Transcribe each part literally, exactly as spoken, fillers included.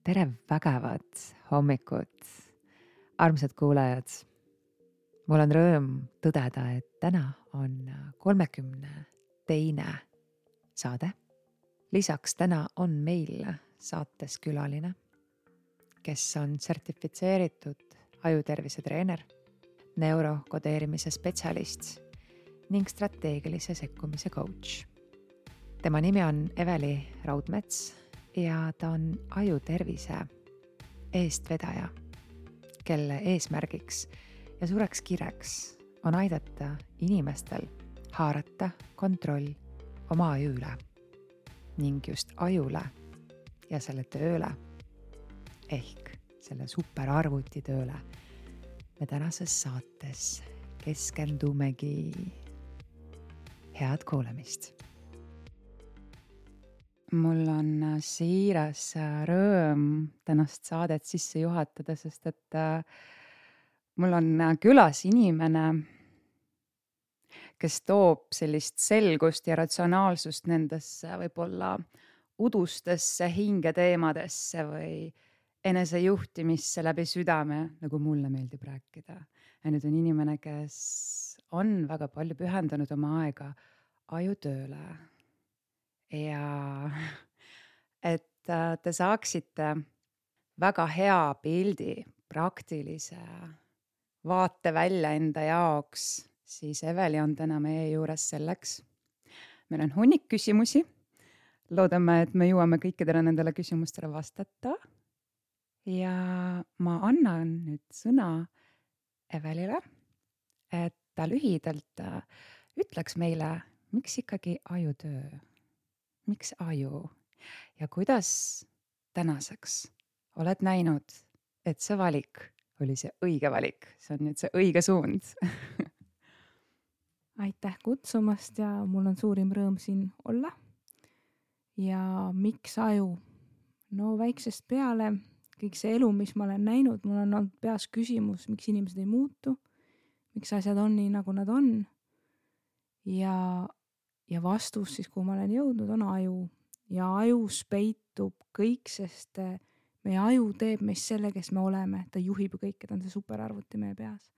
tere vägevat hommikut, armsad kuulajad. Mul on rõõm tõdeda, et täna on kolmekümne teine saade. Lisaks täna on meil saates külaline, kes on sertifitseeritud ajutervise treener, neurokodeerimise spetsialist ning strateegilise sekkumise coach. Tema nimi on Eveli Raudmets ja ta on ajutervise eestvedaja, kelle eesmärgiks ja suureks kireks on aidata inimestel haarata kontroll oma aju üle ning just ajule ja selle tööle ehk selle superarvuti tööle me tänases saates keskendumegi. Head kuulamist. Mul on siiras rõõm tänast saadet sisse juhatada, sest et mul on külas inimene, kes toob sellist selgust ja ratsionaalsust nendesse võib-olla udustesse hingeteemadesse või enesejuhtimisse läbi südame, nagu mulle meeldib rääkida. Ja nüüd on inimene, kes on väga palju pühendanud oma aega ajutööle. Ja et te saaksite väga hea pildi, praktilise vaate välja enda jaoks, siis Eveli on täna meie juures selleks. Meil on hunnik küsimusi. Loodame, et me jõuame kõikidele nendele küsimustele vastata. Ja ma annan nüüd sõna Evelile, et ta lühidalt ütleks meile, miks ikkagi ajutöö, miks aju ja kuidas tänaseks oled näinud, et see valik oli see õige valik, see on nüüd see õige suund. Aitäh kutsumast ja mul on suurim rõõm siin olla. Ja miks aju? No väiksest peale, kõik see elu, mis ma olen näinud, mul on olnud peas küsimus, miks inimesed ei muutu, miks asjad on nii, nagu nad on. Ja, ja vastus siis, kuhu ma olen jõudnud, on aju. Ja ajus peitub kõik, sest meie aju teeb meist selle, kes me oleme. Ta juhib ju kõike, ta on see superarvuti meie peas.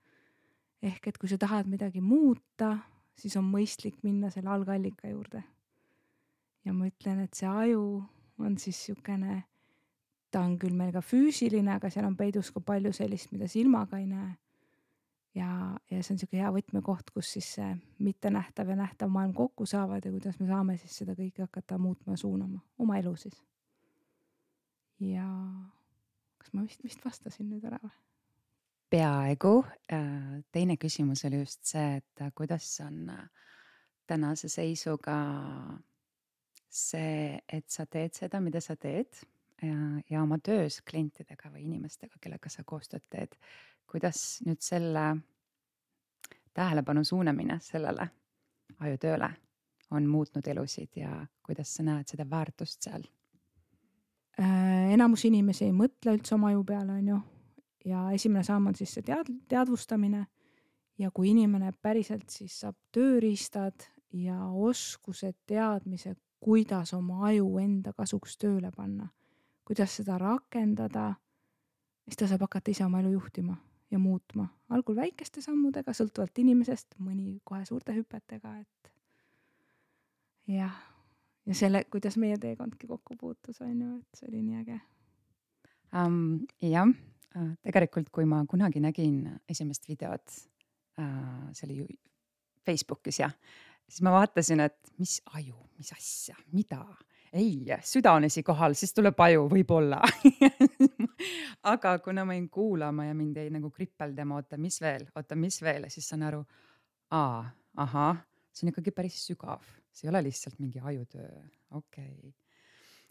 Ehk et kui sa tahad midagi muuta, siis on mõistlik minna selle algallika juurde. Ja ma ütlen, et see aju on siis siukene, ta on küll meil ka füüsiline, aga seal on peidus ka palju sellist, mida silmaga ei näe. Ja, ja see on siuke hea võtmekoht, kus siis see mitte nähtav ja nähtav maailm kokku saavad ja kuidas me saame siis seda kõike hakata muutma ja suunama oma elu siis. Ja kas ma vist, vist vastasin nüüd ära või? Peaaegu. Teine küsimus oli just see, et kuidas on tänase seisuga see, et sa teed seda, mida sa teed ja, ja oma töös klientidega või inimestega, kellega sa koostööd teed. Kuidas nüüd selle tähelepanu suunamine sellele ajutööle on muutnud elusid ja kuidas sa näed seda väärtust seal? Äh, enamus inimesi ei mõtle üldse oma aju peale, on ju. Ja esimene samm on siis see tead, teadvustamine. Ja kui inimene päriselt siis saab tööriistad ja oskused, teadmise, kuidas oma aju enda kasuks tööle panna, kuidas seda rakendada, siis ta saab hakata ise oma elu juhtima ja muutma. Algul väikeste sammudega, sõltuvalt inimesest, mõni kohe suurte hüpetega. Et jah, ja selle, kuidas meie teekondki kokku puutus, on ju, et see oli nii äge. Um, jah, tegelikult kui ma kunagi nägin esimest videot, uh, see oli ju Facebookis ja siis ma vaatasin, et mis aju, mis asja, mida? Ei, süda on esikohal, siis tuleb aju, võib-olla. Aga kuna ma jäin kuulama ja mind jäi nagu kripeldama, oota, mis veel, oota, mis veel, ja siis saan aru, aa, aha, see on ikkagi päris sügav. See ei ole lihtsalt mingi ajutöö. Okei. Okay.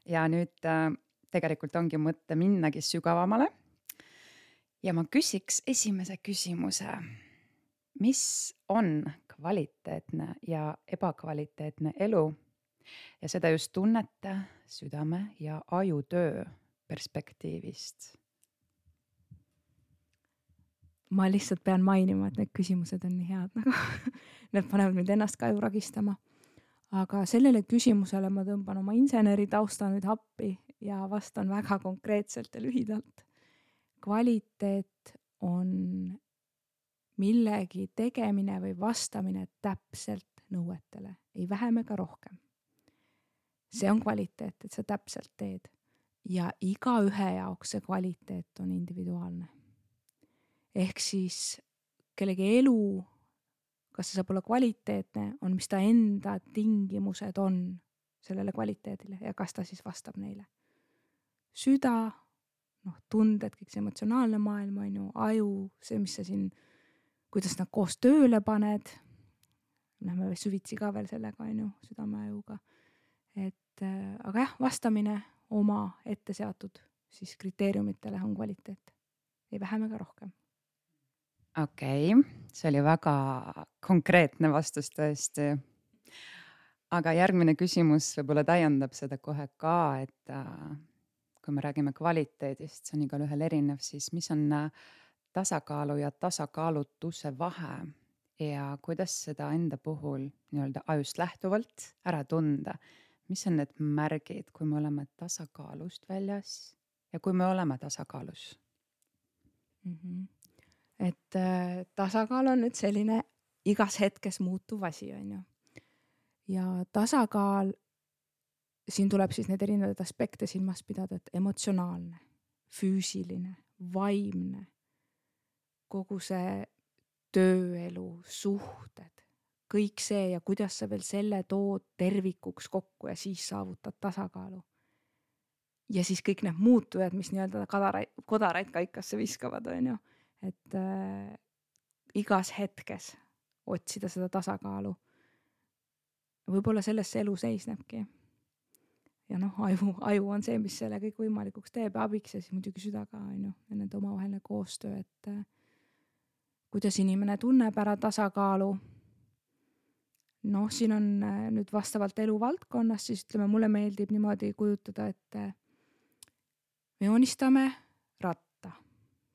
Ja nüüd äh, tegelikult ongi mõte minnagi sügavamale. Ja ma küsiks esimese küsimuse. Mis on kvaliteetne ja ebakvaliteetne elu? Ja seda just tunnete, südame ja ajutöö perspektiivist. Ma lihtsalt pean mainima, et need küsimused on nii head. Nagu need panevad mind ennast ka ju ragistama. Aga sellele küsimusele ma tõmban oma inseneri tausta nüüd appi ja vastan väga konkreetselt ja lühidalt. Kvaliteet on millegi tegemine või vastamine täpselt nõuetele, ei vähem ega rohkem. See on kvaliteet, et sa täpselt teed ja iga ühe jaoks see kvaliteet on individuaalne. Ehk siis kellegi elu, kas see saab olla kvaliteetne, on mis ta enda tingimused on sellele kvaliteedile ja kas ta siis vastab neile. Süda, noh, tunded, kõik see emotsionaalne maailm on ju, aju, see, mis sa siin, kuidas nad koos tööle paned, lähme süvitsi ka veel sellega on ju, südameajuga. Et, aga jah, vastamine oma ette seatud siis kriteeriumitele on kvaliteet, ei vähem ega rohkem. Okei, okay. See oli väga konkreetne vastus tõesti. Aga järgmine küsimus võib-olla täiendab seda kohe ka, et äh, kui me räägime kvaliteedist, see on igal ühel erinev, siis mis on tasakaalu ja tasakaalutuse vahe ja kuidas seda enda puhul nii-öelda ajust lähtuvalt ära tunda? Mis on need märgid, kui me oleme tasakaalust väljas ja kui me oleme tasakaalus? Mm-hmm. Et äh, tasakaal on nüüd selline igas hetkes muutuv asi, on ju. Ja tasakaal, siin tuleb siis need erinevad aspekte silmas pidada, et emotsionaalne, füüsiline, vaimne, kogu see tööelu, suhted, kõik see ja kuidas sa veel selle tood tervikuks kokku ja siis saavutad tasakaalu. Ja siis kõik need muutujad, mis nii-öelda kodaraid, kodaraid kaikasse viskavad, on ju. Et äh, igas hetkes otsida seda tasakaalu. Võib-olla selles see elu seisnebki. Ja noh, aju, aju on see, mis selle kõik võimalikuks teeb ja abiks ja siis muidugi süda ka, on ju. Ja nende omavaheline koostöö, et äh, kuidas inimene tunneb ära tasakaalu. Noh, siin on äh, nüüd vastavalt eluvaldkonnas, siis ütleme, mulle meeldib niimoodi kujutada, et äh, me joonistame ratta.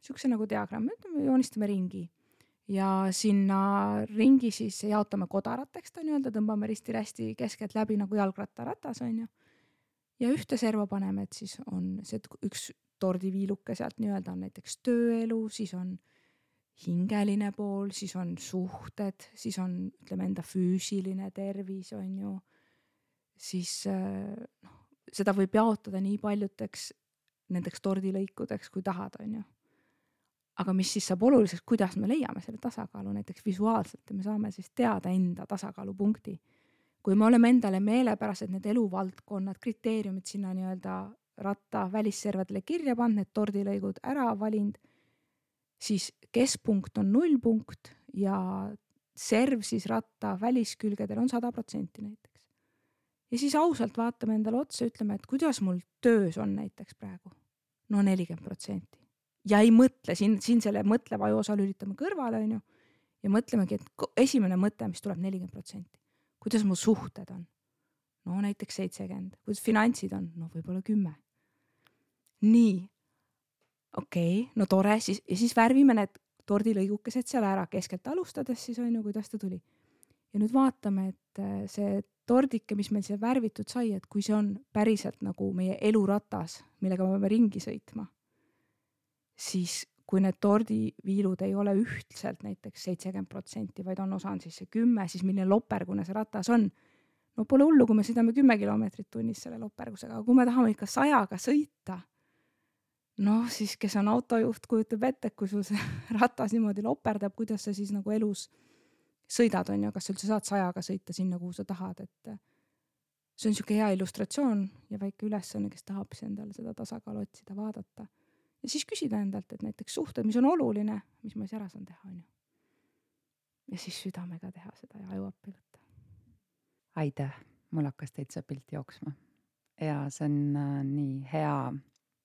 Sihukese nagu diagramm, me joonistame ringi. Ja sinna ringi siis jaotame kodarateks, ta nii-öelda tõmbame risti-rästi keskelt läbi nagu jalgrattaratas, on ju. Ja ühte serva paneme, et siis on see üks tordiviiluke sealt nii-öelda on näiteks tööelu, siis on hingeline pool, siis on suhted, siis on ütleme enda füüsiline tervis, on ju. Siis noh, seda võib jaotada nii paljuteks nendeks tordilõikudeks, kui tahad, on ju. Aga mis siis saab oluliseks, kuidas me leiame selle tasakaalu näiteks visuaalselt ja me saame siis teada enda tasakaalupunkti. Kui me oleme endale meelepärased need eluvaldkonnad, kriteeriumid sinna nii-öelda ratta välisservadele kirja pannud, need tordilõigud ära valind, siis keskpunkt on nullpunkt ja serv siis ratta väliskülgedel on sada protsenti näiteks. Ja siis ausalt vaatame endale otsa ja ütleme, et kuidas mul töös on näiteks praegu. No nelikümmend protsenti. Ja ei mõtle, siin, siin selle mõtleva aju osa lülitame kõrvale, on ju, ja mõtlemegi, et esimene mõte, mis tuleb nelikümmend protsenti. Kuidas mu suhted on? No näiteks seitsekümmend. Kuidas finantsid on? No võib-olla kümme. Nii. Okei, okay, no tore. Siis, ja siis värvime need tordilõigukesed seal ära keskelt alustades, siis on ju, kuidas ta tuli. Ja nüüd vaatame, et see tordike, mis meil seal värvitud sai, et kui see on päriselt nagu meie eluratas, millega me peame ringi sõitma, siis kui need tordiviilud ei ole ühtselt näiteks seitsekümmend protsenti, vaid on osa on siis see kümme, siis milline lopergune see ratas on. No pole hullu, kui me sõidame kümme kilomeetrit tunnis selle lopergusega, aga kui me tahame ikka sajaga sõita, noh siis kes on autojuht, kujutab ette, kui sul see ratas niimoodi loperdab, kuidas sa siis nagu elus sõidad on ja kas üldse saad sajaga sõita sinna, kuhu sa tahad, et see on siuke hea illustratsioon ja väike ülesanne, kes tahab endale seda tasakaalu otsida, vaadata. Ja siis küsida endalt, et näiteks suhted, mis on oluline, mis ma siis ära saan teha, on ju. Ja siis südamega teha seda ja aju appi võtta. Aitäh, mul hakkas täitsa pilt jooksma. Ja see on äh, nii hea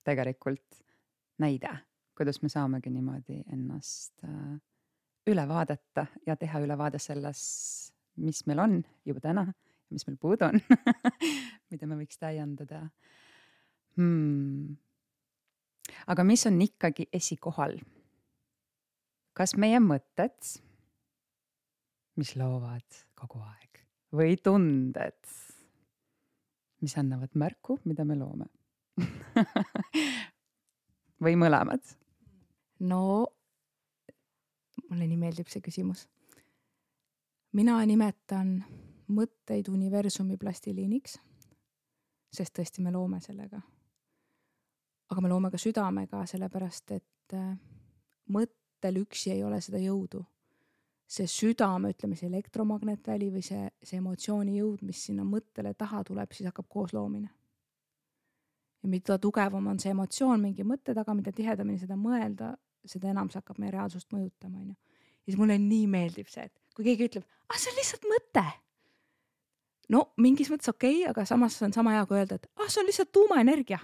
tegelikult näide, kuidas me saamegi niimoodi ennast äh, üle vaadata ja teha ülevaade selles, mis meil on juba täna ja mis meil puudu on, mida me võiks täiendada. Hmm. Aga mis on ikkagi esikohal? Kas meie mõtted, mis loovad kogu aeg, või tunded, mis annavad märku, mida me loome? või mõlemad? no mulle nii meeldib see küsimus. Mina nimetan mõtteid universumi plastiliiniks, sest tõesti me loome sellega. Aga me loome ka südamega, sellepärast et mõttel üksi ei ole seda jõudu. See südame, ütleme see elektromagnetväli või see, see emotsiooni jõud, mis sinna mõttele taha tuleb, siis hakkab koos loomine. Ja mida tugevam on see emotsioon mingi mõtte taga, mida tihedamini seda mõelda, seda enam see hakkab meie reaalsust mõjutama. Ja siis mulle nii meeldib see, et kui keegi ütleb, ah, see on lihtsalt mõte. No mingis mõttes okei, okay, aga samas on sama hea kui öelda, et ah, see on lihtsalt tuumaenergia.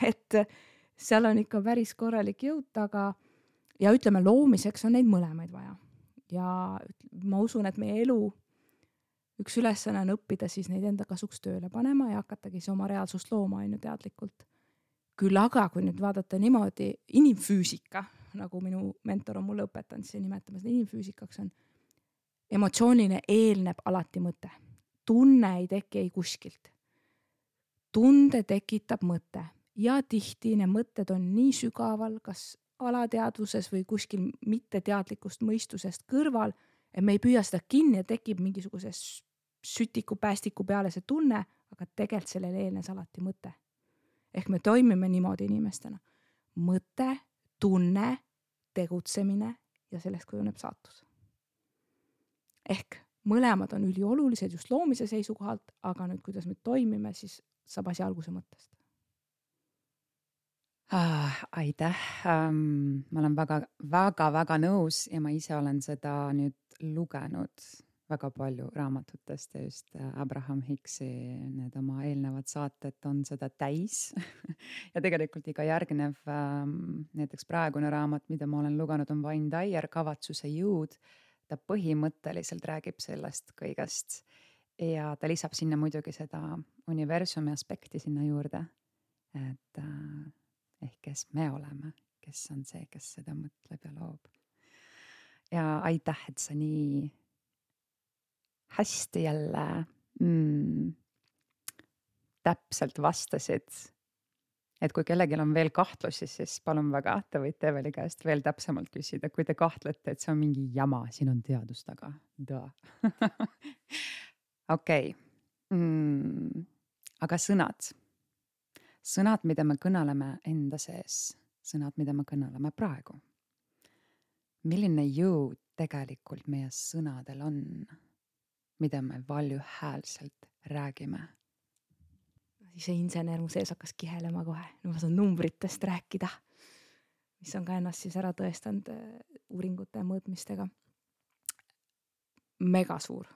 et seal on ikka päris korralik jõud taga ja ütleme, loomiseks on neid mõlemaid vaja. Ja ma usun, et meie elu üks ülesanne on õppida siis neid enda kasuks tööle panema ja hakatagi see oma reaalsust looma ainu teadlikult. Küll aga, kui nüüd vaadata niimoodi, inimfüüsika, nagu minu mentor on mulle õpetanud, siis nimetame seda inimfüüsikaks on, emotsiooniline eelneb alati mõte. Tunne ei teki ei kuskilt. Tunde tekitab mõte ja tihti need mõtted on nii sügaval, kas alateadvuses või kuskil mitteteadlikust mõistusest kõrval, et me ei püüa seda kinni ja tekib mingisuguse sütiku päästiku peale see tunne, aga tegelikult sellele eelnes alati mõte. Ehk me toimime niimoodi inimestena. Mõte, tunne, tegutsemine ja sellest kujuneb saatus. Ehk mõlemad on üliolulised just loomise seisukohalt, aga nüüd kuidas me toimime, siis saab asi alguse mõttest. Ah, aitäh. Um, ma olen väga, väga, väga nõus ja ma ise olen seda nüüd lugenud väga palju raamatutest ja just Abraham Hicksi need oma eelnevad saated on seda täis. ja tegelikult iga järgnev, um, näiteks praegune raamat, mida ma olen lugenud, on Wayne Dyer, Kavatsuse jõud. Ta põhimõtteliselt räägib sellest kõigest ja ta lisab sinna muidugi seda universumi aspekti sinna juurde, et uh, ehk kes me oleme, kes on see, kes seda mõtleb ja loob. Ja aitäh, et sa nii hästi jälle mm, täpselt vastasid. Et kui kellelgi on veel kahtlusi, siis palun väga, te võite Eveli käest veel täpsemalt küsida, kui te kahtlete, et see on mingi jama, siin on teadus taga. Okei, mm, aga sõnad. Sõnad, mida me kõneleme enda sees, sõnad, mida me kõneleme praegu. Milline jõud tegelikult meie sõnadel on, mida me valjuhäälselt räägime? Siis see insener mu sees hakkas kihelema kohe. No ma saan numbritest rääkida, mis on ka ennast siis ära tõestanud uuringute ja mõõtmistega. Mega suur.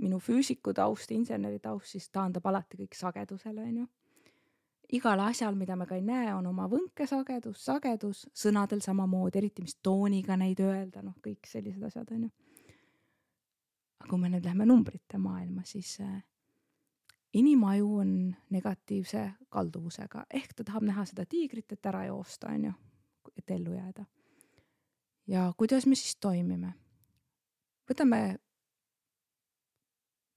Minu füüsiku taust, inseneri taust siis taandab alati kõik sagedusele. On ju. Igal asjal, mida me ka ei näe, on oma võnke sagedus, sagedus, sõnadel samamoodi, eriti mis tooniga neid öelda, noh kõik sellised asjad. On ju. Aga kui me nüüd lähme numbrite maailma, siis inimaju on negatiivse kalduvusega. Ehk ta tahab näha seda tiigrit, et ära joosta, on ju, et ellu jääda. Ja kuidas me siis toimime? Võtame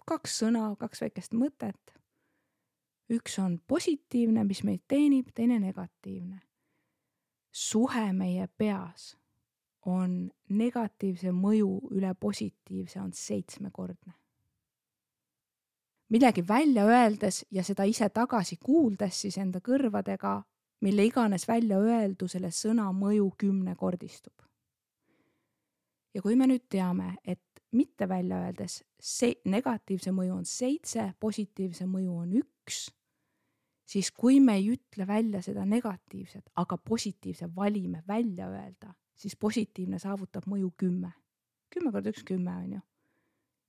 kaks sõna, kaks väikest mõtet. Üks on positiivne, mis meid teenib, teine negatiivne. Suhe meie peas on negatiivse mõju üle positiivse on seitsmekordne. Midagi välja öeldes ja seda ise tagasi kuuldes siis enda kõrvadega, mille iganes välja öeldu selle sõna mõju kümnekordistub. Ja kui me nüüd teame, et mitte välja öeldes see negatiivse mõju on seitse, positiivse mõju on üks, siis kui me ei ütle välja seda negatiivset, aga positiivse valime välja öelda, siis positiivne saavutab mõju kümme. Kümme korda üks kümme on ju.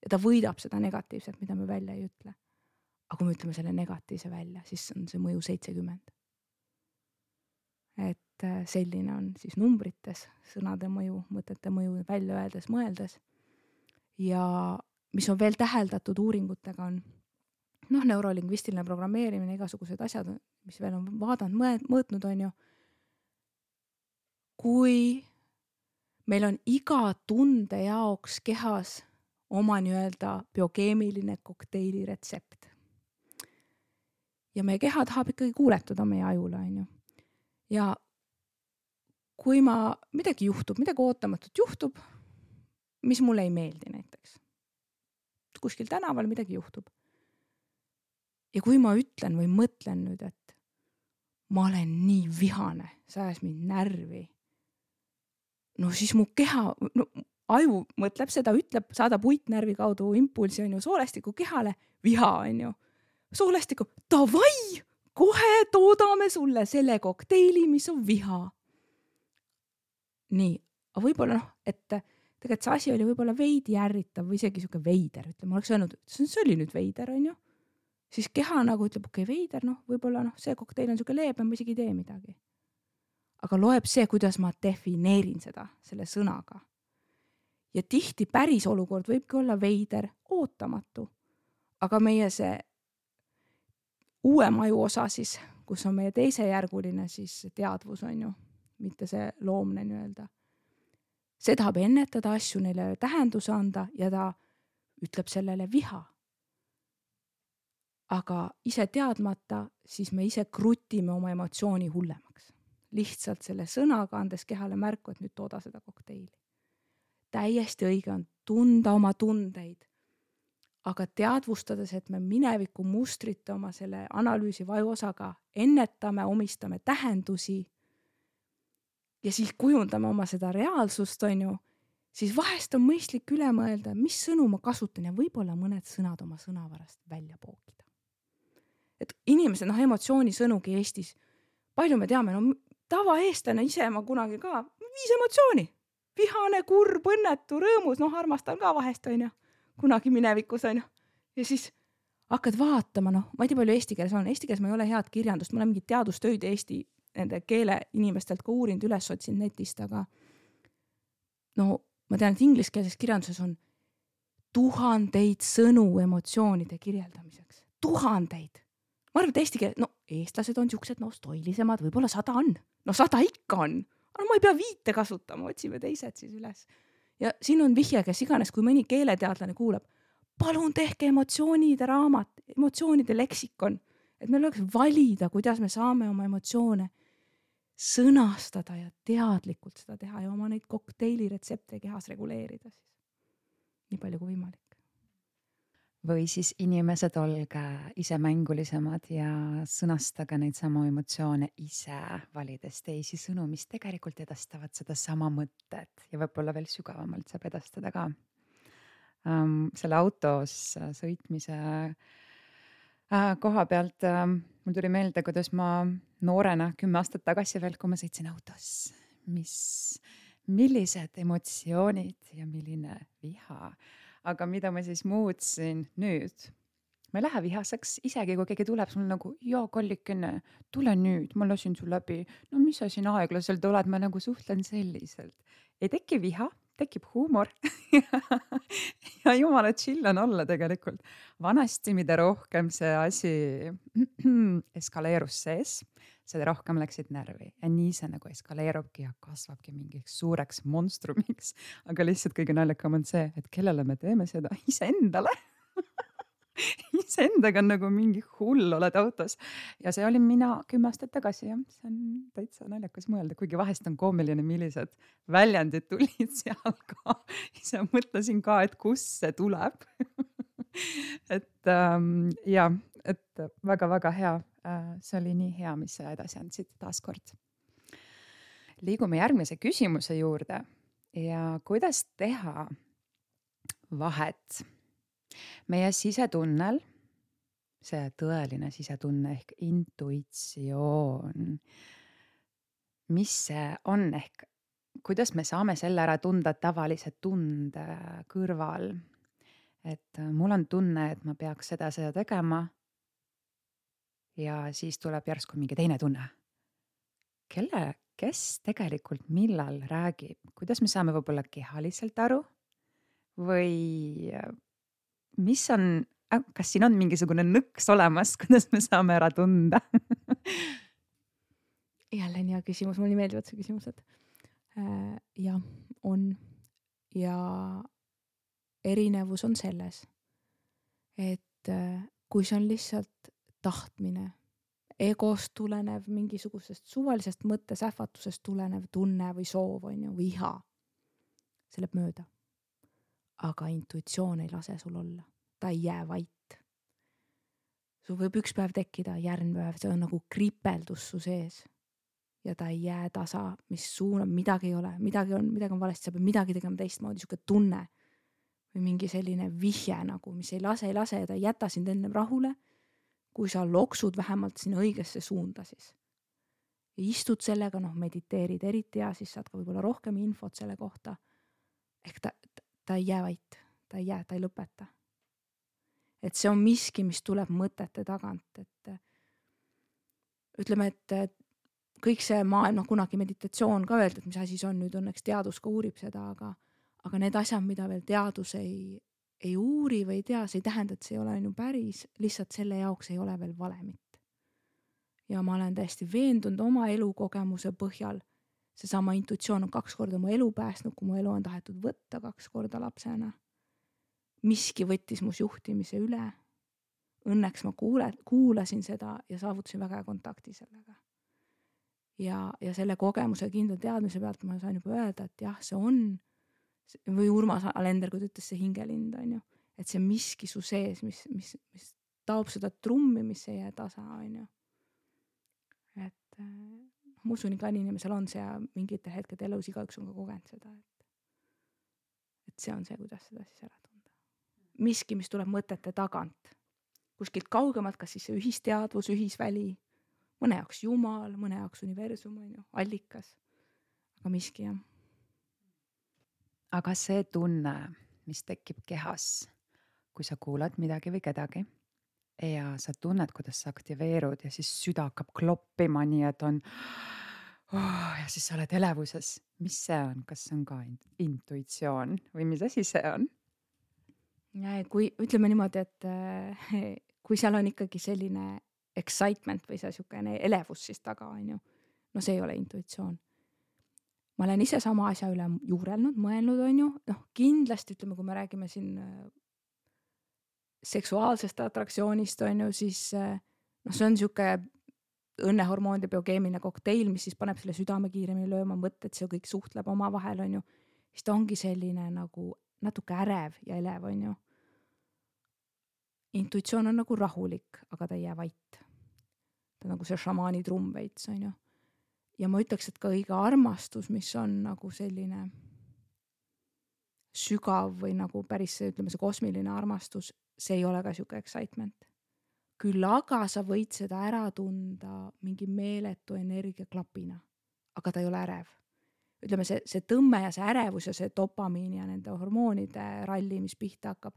Ja ta võidab seda negatiivset, mida me välja ei ütle. Aga kui me ütleme selle negatiivse välja, siis on see mõju seitsekümmend. Et selline on siis numbrites sõnade mõju, mõtete mõju välja öeldes, mõeldes. Ja mis on veel täheldatud uuringutega on noh, neurolingvistiline programmeerimine, igasugused asjad, mis veel on vaadanud, mõõtnud on ju. Kui meil on iga tunde jaoks kehas oma nii-öelda biokeemiline kokteili retsept. ja meie keha tahab ikkagi kuuletuda meie ajule, on ju. Ja kui ma, midagi juhtub, midagi ootamatut juhtub, mis mulle ei meeldi näiteks. Kuskil tänaval midagi juhtub. Ja kui ma ütlen või mõtlen nüüd, et ma olen nii vihane, see ajas mind närvi, no siis mu keha, no, aju mõtleb seda, ütleb, saadab uitnärvi kaudu impulsi, on ju, soolestiku kehale, viha, on ju. Soolestiku, davai, kohe toodame sulle selle kokteili, mis on viha. Nii, aga võib-olla noh, et tegelikult see asi oli võib-olla veidi ärritav või isegi siuke veider, ütleme, oleks öelnud, see oli nüüd veider, on ju. Siis keha nagu ütleb, okei, okay, veider, noh, võib-olla noh, see kokteil on siuke leebem, ma isegi ei tee midagi. Aga loeb see, kuidas ma defineerin seda selle sõnaga. Ja tihti päris olukord võibki olla veider, ootamatu. Aga meie see uue maju osa siis, kus on meie teisejärguline siis teadvus, on ju, mitte see loomne nii-öelda. See tahab ennetada asju, neile tähenduse anda ja ta ütleb sellele viha. Aga ise teadmata, siis me ise krutime oma emotsiooni hullemaks. Lihtsalt selle sõnaga andes kehale märku, et nüüd tooda seda kokteili. Täiesti õige on tunda oma tundeid, aga teadvustades, et me mineviku mustrite oma selle analüüsi vajuosaga ennetame, omistame tähendusi ja siis kujundame oma seda reaalsust, on ju, siis vahest on mõistlik üle mõelda, mis sõnu ma kasutan ja võib-olla mõned sõnad oma sõnavarast välja pookida. Et inimesed, noh, emotsioonisõnugi Eestis, palju me teame, no tavaeestlane ise ma kunagi ka, viis emotsiooni, vihane, kurb, õnnetu, rõõmus, noh, armastan ka vahest, on ju, kunagi minevikus, on ju. Ja siis hakkad vaatama, noh, ma ei tea palju eesti keeles on, eesti keeles ma ei ole head kirjandust, ma olen mingid teadustöid Eesti nende keele inimestelt ka uurinud, üles otsinud netist, aga no ma tean, et ingliskeelses kirjanduses on tuhandeid sõnu emotsioonide kirjeldamiseks. Tuhandeid. Ma arvan, et eesti keel, no eestlased on siuksed, no stoilisemad, võib-olla sada on. No sada ikka on. No ma ei pea viite kasutama, otsime teised siis üles. Ja siin on vihje, kes iganes, kui mõni keeleteadlane kuulab, palun tehke emotsioonide raamat, emotsioonide leksikon, et meil oleks valida, kuidas me saame oma emotsioone sõnastada ja teadlikult seda teha ja oma neid kokteili retsepte kehas reguleerida siis. Nii palju kui võimalik. Või siis inimesed olge ise mängulisemad ja sõnastage neid samu emotsioone ise, valides teisi sõnu, mis tegelikult edastavad seda sama mõttet ja võib-olla veel sügavamalt saab edastada ka. Um, selle autos sõitmise uh, koha pealt uh, mul tuli meelde, kuidas ma noorena kümme aastat tagasi veel, kui ma sõitsin autos, mis, millised emotsioonid ja milline viha. Aga mida ma siis muutsin nüüd? Ma ei lähe vihaseks, isegi kui keegi tuleb sul nagu, joo, kollikene, tule nüüd, ma lasin sul läbi. No mis sa siin aeglaselt oled, ma nagu suhtlen selliselt. Ei teki viha, tekib huumor. Ja jumala chill on olla tegelikult. Vanasti, mida rohkem see asi eskaleerus sees, seda rohkem läksid närvi. Ja nii see nagu eskaleerubki ja kasvabki mingiks suureks monstrumiks. Aga lihtsalt kõige naljakam on see, et kellele me teeme seda iseendale. Iseendaga on nagu mingi hull oled autos. Ja see oli mina kümme aastat tagasi. Ja see on täitsa naljakas mõelda, kuigi vahest on koomiline, millised väljendid tulid seal ka. Ise mõtlesin ka, et kus see tuleb. et ähm, ja, et väga-väga hea. See oli nii hea, mis sa edasi andsid taas kord. Liigume järgmise küsimuse juurde ja kuidas teha vahet meie sisetunnel, see tõeline sisetunne ehk intuitsioon, mis see on ehk kuidas me saame selle ära tunda tavalise tunde kõrval, et mul on tunne, et ma peaks seda, seda tegema ja siis tuleb järsku mingi teine tunne. Kelle, kes tegelikult millal räägib? Kuidas me saame võib-olla kehaliselt aru? Või mis on, kas siin on mingisugune nõks olemas, kuidas me saame ära tunda? Jälle nii hea küsimus, mulle meeldivad see küsimused. Ja, on. Ja erinevus on selles, et kui see on lihtsalt tahtmine egost tulenev, mingisugusest suvalisest mõttesähvatusest tulenev tunne või soov on ju, või iha. See läheb mööda. Aga intuitsioon ei lase sul olla. Ta ei jää vait. Sul võib üks päev tekkida, järgmine päev, see on nagu kripeldus su sees. Ja ta ei jää tasa, mis suunab, midagi ei ole, midagi on, midagi on valesti, sa pead midagi tegema teistmoodi, siuke tunne. Või mingi selline vihje nagu, mis ei lase, ei lase ja ta ei jäta sind enne rahule, kui sa loksud vähemalt sinna õigesse suunda siis. Ja istud sellega, noh, mediteerid eriti ja siis saad ka võib-olla rohkem infot selle kohta. Ehk ta, ta ei jää vait, ta ei jää, ta ei lõpeta. Et see on miski, mis tuleb mõtete tagant, et ütleme, et kõik see maailm, noh, kunagi meditatsioon ka öeldud, mis asi see on, nüüd õnneks teadus ka uurib seda, aga, aga need asjad, mida veel teadus ei, ei uuri või ei tea, see ei tähenda, et see ei ole ju päris, lihtsalt selle jaoks ei ole veel valemit. Ja ma olen täiesti veendunud oma elukogemuse põhjal, seesama intuitsioon on kaks korda mu elu päästnud, kui mu elu on tahetud võtta kaks korda lapsena. Miski võttis mus juhtimise üle. Õnneks ma kuule, kuulasin seda ja saavutasin väga kontakti sellega. Ja, ja selle kogemuse kindla teadmise pealt ma saan juba öelda, et jah, see on, või Urmas Alender, kui ta ütles see hingelind, on ju, et see miski su sees, mis, mis, mis taob seda trummi, mis ei jää tasa, on ju. Et ma usun, iga inimesel on see ja mingitel hetked elus igaüks on ka kogenud seda, et, et see on see, kuidas seda siis ära tunda. Miski, mis tuleb mõtete tagant, kuskilt kaugemalt, kas siis see ühisteadvus, ühisväli, mõne jaoks Jumal, mõne jaoks universum, on ju, allikas, aga miski jah. Aga see tunne, mis tekib kehas, kui sa kuulad midagi või kedagi ja sa tunned, kuidas sa aktiveerud ja siis süda hakkab kloppima nii, et on oh, ja siis sa oled elevuses. Mis see on? Kas see on ka intuitsioon või mis asi see on? Ja, kui ütleme niimoodi, et kui seal on ikkagi selline excitement või see siukene elevus siis taga, on ju, no see ei ole intuitsioon. Ma olen ise sama asja üle juurelnud, mõelnud, on ju, noh kindlasti ütleme, kui me räägime siin seksuaalsest atraktsioonist, on ju, siis noh, see on siuke õnnehormoonide biokeemiline kokteil, mis siis paneb selle südame kiiremini lööma, mõtted, see kõik suhtleb oma vahel, on ju, siis ta ongi selline nagu natuke ärev ja elev, on ju. Intuitsioon on nagu rahulik, aga ta ei jää vait. Ta on nagu see šamaani trumm veits, on ju. Ja ma ütleks, et ka õige armastus, mis on nagu selline sügav või nagu päris see, ütleme, see kosmiline armastus, see ei ole ka siuke excitement. Küll aga sa võid seda ära tunda mingi meeletu energiaklapina, aga ta ei ole ärev. Ütleme, see, see tõmme ja see ärevus ja see dopamiin ja nende hormoonide ralli, mis pihta hakkab,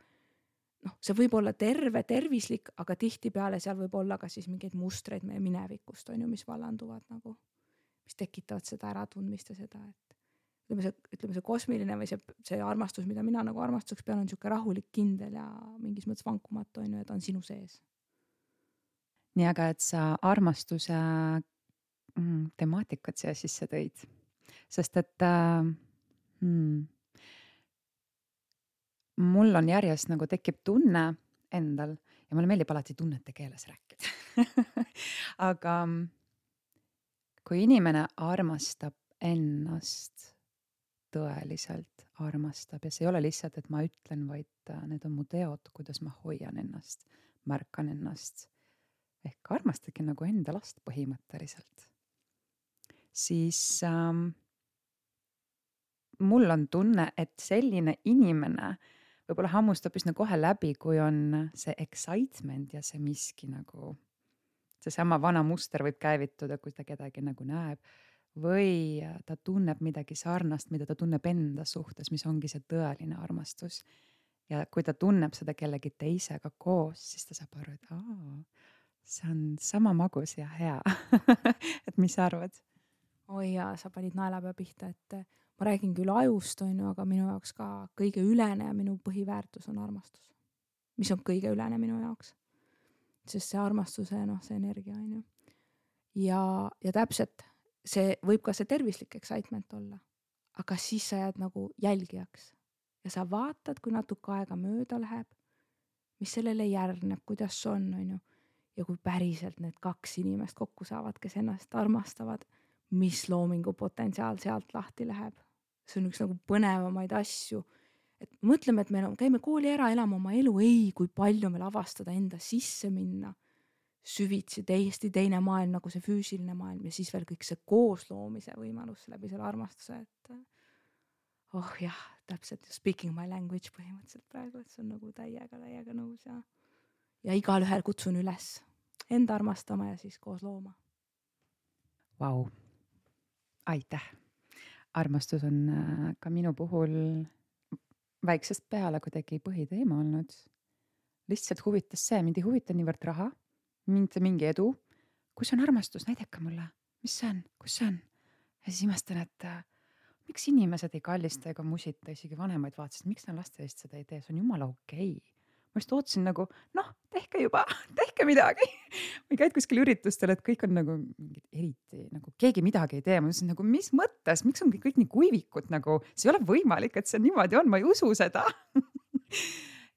noh, see võib olla terve, tervislik, aga tihtipeale seal võib olla ka siis mingeid mustreid meie minevikust, on ju, mis vallanduvad nagu, mis tekitavad seda äratundmist ja seda, et ütleme see, ütleme see kosmiline või see, see armastus, mida mina nagu armastuseks pean, on siuke rahulik, kindel ja mingis mõttes vankumatu, on ju, et on sinu sees. Nii aga, et sa armastuse mm, temaatikat siia sisse tõid. Sest et äh, hmm, mul on järjest nagu tekib tunne endal ja mulle meeldib alati tunnete keeles rääkida. Aga kui inimene armastab ennast, tõeliselt armastab ja see ei ole lihtsalt, et ma ütlen, vaid need on mu teod, kuidas ma hoian ennast, märkan ennast. Ehk armastadki nagu enda last põhimõtteliselt. Siis ähm, mul on tunne, et selline inimene võib-olla hammustab üsna kohe läbi, kui on see excitement ja see miski nagu, see sama vana muster võib käivituda, kui ta kedagi nagu näeb või ta tunneb midagi sarnast, mida ta tunneb enda suhtes, mis ongi see tõeline armastus. Ja kui ta tunneb seda kellegi teisega koos, siis ta saab aru, et aa, see on sama magus ja hea. Et mis sa arvad? Oi jaa, sa panid naelapea pihta, et ma räägin küll ajust, on ju, aga minu jaoks ka kõige ülene ja minu põhiväärtus on armastus. Mis on kõige ülene minu jaoks? Sest see armastuse, noh, see energia, on ju. Ja, ja täpselt, see võib ka see tervislik excitement olla, aga siis sa jääd nagu jälgijaks ja sa vaatad, kui natuke aega mööda läheb, mis sellele järgneb, kuidas on, on ju. ja kui päriselt need kaks inimest kokku saavad, kes ennast armastavad, mis loomingu potentsiaal sealt lahti läheb. See on üks nagu põnevamaid asju. Et mõtleme, et me käime kooli ära elama oma elu, ei, kui palju meil avastada enda sisse minna, süvitsi täiesti teine maailm nagu see füüsiline maailm ja siis veel kõik see koosloomise võimalus läbi selle armastuse, et oh jah, täpselt speaking my language põhimõtteliselt praegu, et see on nagu täiega, täiega nõus ja, ja igal ühel kutsun üles enda armastama ja siis koos looma. Vau, aitäh. Armastus on ka minu puhul väiksest peale kuidagi põhiteema olnud. Lihtsalt huvitas see, mind ei huvita niivõrd raha, mind mingi edu. Kus on armastus? Näidake mulle. Mis see on? Kus see on? Ja siis imestan, et äh, miks inimesed ei kallista ega musita, isegi vanemaid vaatasid, miks nad laste eest seda ei tee? See on jumala okei. Ma just ootsin nagu, noh, tehke juba, tehke midagi. Või käid kuskil üritustel, et kõik on nagu eriti, nagu keegi midagi ei tee. Ma ütlesin nagu, mis mõttes, miks on kõik nii kuivikud, nagu see ei ole võimalik, et see niimoodi on, ma ei usu seda.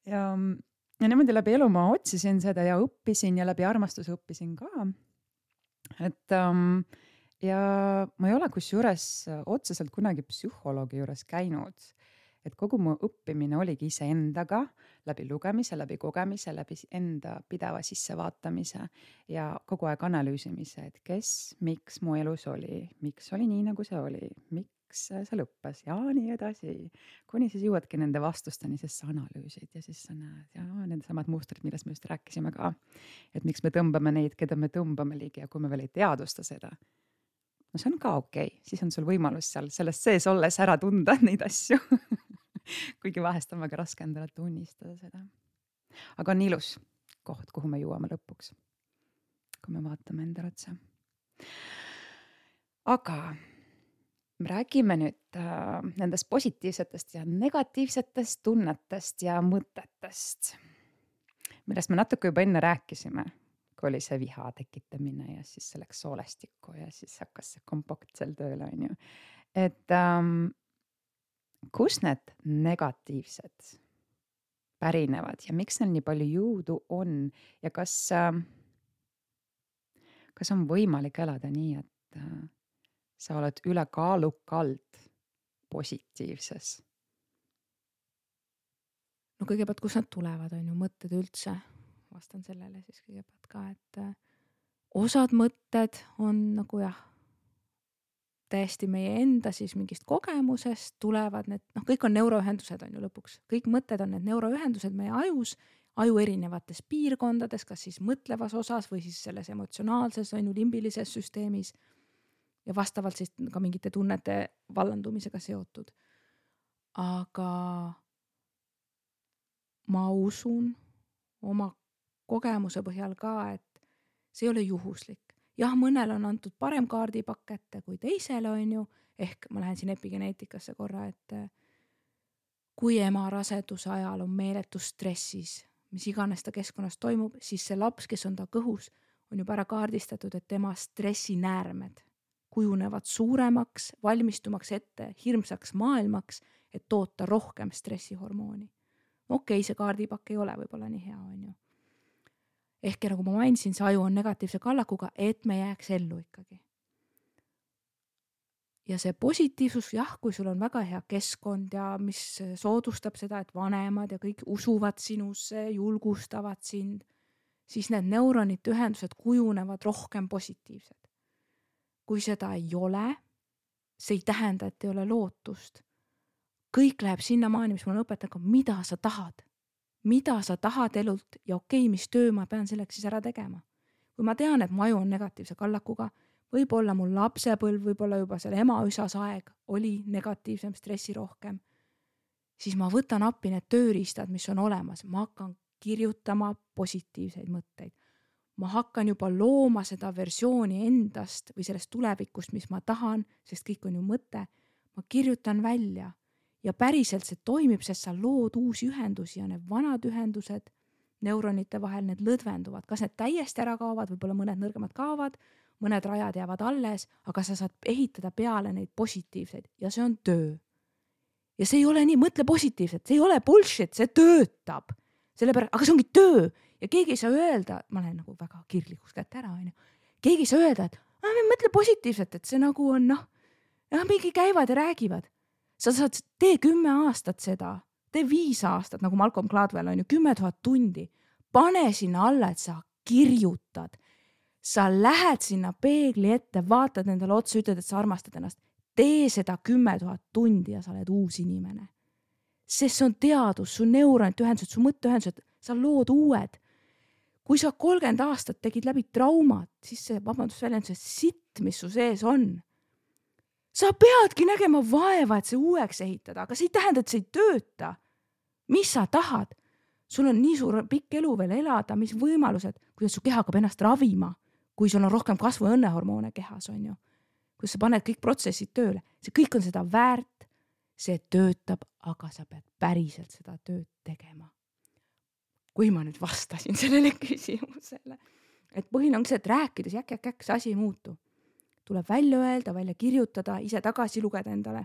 ja, ja niimoodi läbi elu ma otsisin seda ja õppisin ja läbi armastuse õppisin ka. Et um, ja ma ei ole kusjuures otseselt kunagi psühholoogi juures käinud. Et kogu mu õppimine oligi ise endaga, läbi lugemise, läbi kogemise, läbi enda pideva sissevaatamise ja kogu aeg analüüsimise, et kes, miks mu elus oli, miks oli nii, nagu see oli, miks see lõppes ja nii edasi. Kuni siis jõuadki nende vastusteni, sest sa analüüsid ja siis sa näed ja need samad mustrid, millest me just rääkisime ka. Et miks me tõmbame neid, keda me tõmbame ligi ja kui me veel ei teadusta seda. No see on ka okei, siis on sul võimalus seal sellest sees olles ära tunda neid asju. Kuigi vahest on väga raske endale tunnistada seda. Aga on ilus koht, kuhu me jõuame lõpuks, kui me vaatame endale otsa. Aga me räägime nüüd äh, nendest positiivsetest ja negatiivsetest tunnetest ja mõtetest, millest me natuke juba enne rääkisime, kui oli see viha tekitamine ja siis selleks soolestikku ja siis hakkas see kompakt seal tööle. On ju. Et ähm, kus need negatiivsed pärinevad ja miks neil nii palju jõudu on ja kas, äh, kas on võimalik elada nii, et äh, sa oled ülekaalukalt positiivses? No kõigepealt, kus nad tulevad, on ju mõtted üldse? Vastan sellele siis kõigepealt ka, et äh, osad mõtted on nagu jah, täiesti meie enda siis mingist kogemusest tulevad need, noh, kõik on neuroühendused on ju lõpuks. Kõik mõtted on need neuroühendused meie ajus, aju erinevates piirkondades, kas siis mõtlevas osas või siis selles emotsionaalses, on ju limbilises süsteemis ja vastavalt siis ka mingite tunnete vallandumisega seotud. Aga ma usun oma kogemuse põhjal ka, et see ei ole juhuslik. Jah, mõnel on antud parem kaardipakk ette kui teisele on ju, ehk ma lähen siin epigeneetikasse korra, et kui ema raseduse ajal on meeletus stressis, mis iganes ta keskkonnas toimub, siis see laps, kes on ta kõhus, on juba ära kaardistatud, et tema stressinäärmed kujunevad suuremaks, valmistumaks ette hirmsaks maailmaks, et toota rohkem stressihormooni. Okei, see kaardipakk ei ole võib-olla nii hea on ju. Ehk nagu ma mainisin, see aju on negatiivse kallakuga, et me jääks ellu ikkagi. Ja see positiivsus, jah, kui sul on väga hea keskkond ja mis soodustab seda, et vanemad ja kõik usuvad sinusse, julgustavad sind, siis need neuronite ühendused kujunevad rohkem positiivsed. Kui seda ei ole, see ei tähenda, et ei ole lootust. Kõik läheb sinna maani, mis mul on õpetaja, mida sa tahad. Mida sa tahad elult ja okei, mis töö ma pean selleks siis ära tegema. Kui ma tean, et mu aju on negatiivse kallakuga, võib-olla mul lapsepõlv, võib-olla juba selle ema üsas aeg oli negatiivsem, stressi rohkem, siis ma võtan appi need tööriistad, mis on olemas. Ma hakkan kirjutama positiivseid mõtteid. Ma hakkan juba looma seda versiooni endast või sellest tulevikust, mis ma tahan, sest kõik on ju mõte. Ma kirjutan välja. Ja päriselt see toimib, sest sa lood uusi ühendusi ja need vanad ühendused neuronite vahel, need lõdvenduvad. Kas need täiesti ära kaovad, võib-olla mõned nõrgemad kaovad, mõned rajad jäävad alles, aga sa saad ehitada peale neid positiivseid ja see on töö. Ja see ei ole nii, mõtle positiivselt, see ei ole bullshit, see töötab. Sellepärast, aga see ongi töö ja ja keegi ei saa öelda, ma olen nagu väga kirglikuks kätte ära, on ju. Keegi ei saa öelda, et ah, me mõtle positiivselt, et see nagu on noh, ja mingi käivad ja räägivad. Sa saad, tee kümme aastat seda, tee viis aastat, nagu Malcolm Gladwell on ju, kümme tuhat tundi. Pane sinna alla, et sa kirjutad. Sa lähed sinna peegli ette, vaatad endale otsa, ütled, et sa armastad ennast. Tee seda kümme tuhat tundi ja sa oled uus inimene. Sest see on teadus, su neuronid ühendused, su mõtteühendused, sa lood uued. Kui sa kolmkümmend aastat tegid läbi traumat, siis see, vabandust väljend, see sitt, mis su sees on. Sa peadki nägema vaeva, et see uueks ehitada, aga see ei tähenda, et see ei tööta. Mis sa tahad? Sul on nii suur pikk elu veel elada, mis võimalused, kuidas su keha hakkab ennast ravima, kui sul on rohkem kasvu- ja õnnehormoone kehas, on ju. Kui sa paned kõik protsessid tööle, see kõik on seda väärt, see töötab, aga sa pead päriselt seda tööd tegema. Kui ma nüüd vastasin sellele küsimusele, et põhiline ongi see, et rääkides jäk, jäk, jäk, see asi ei muutu. Tuleb välja öelda, välja kirjutada, ise tagasi lugeda endale,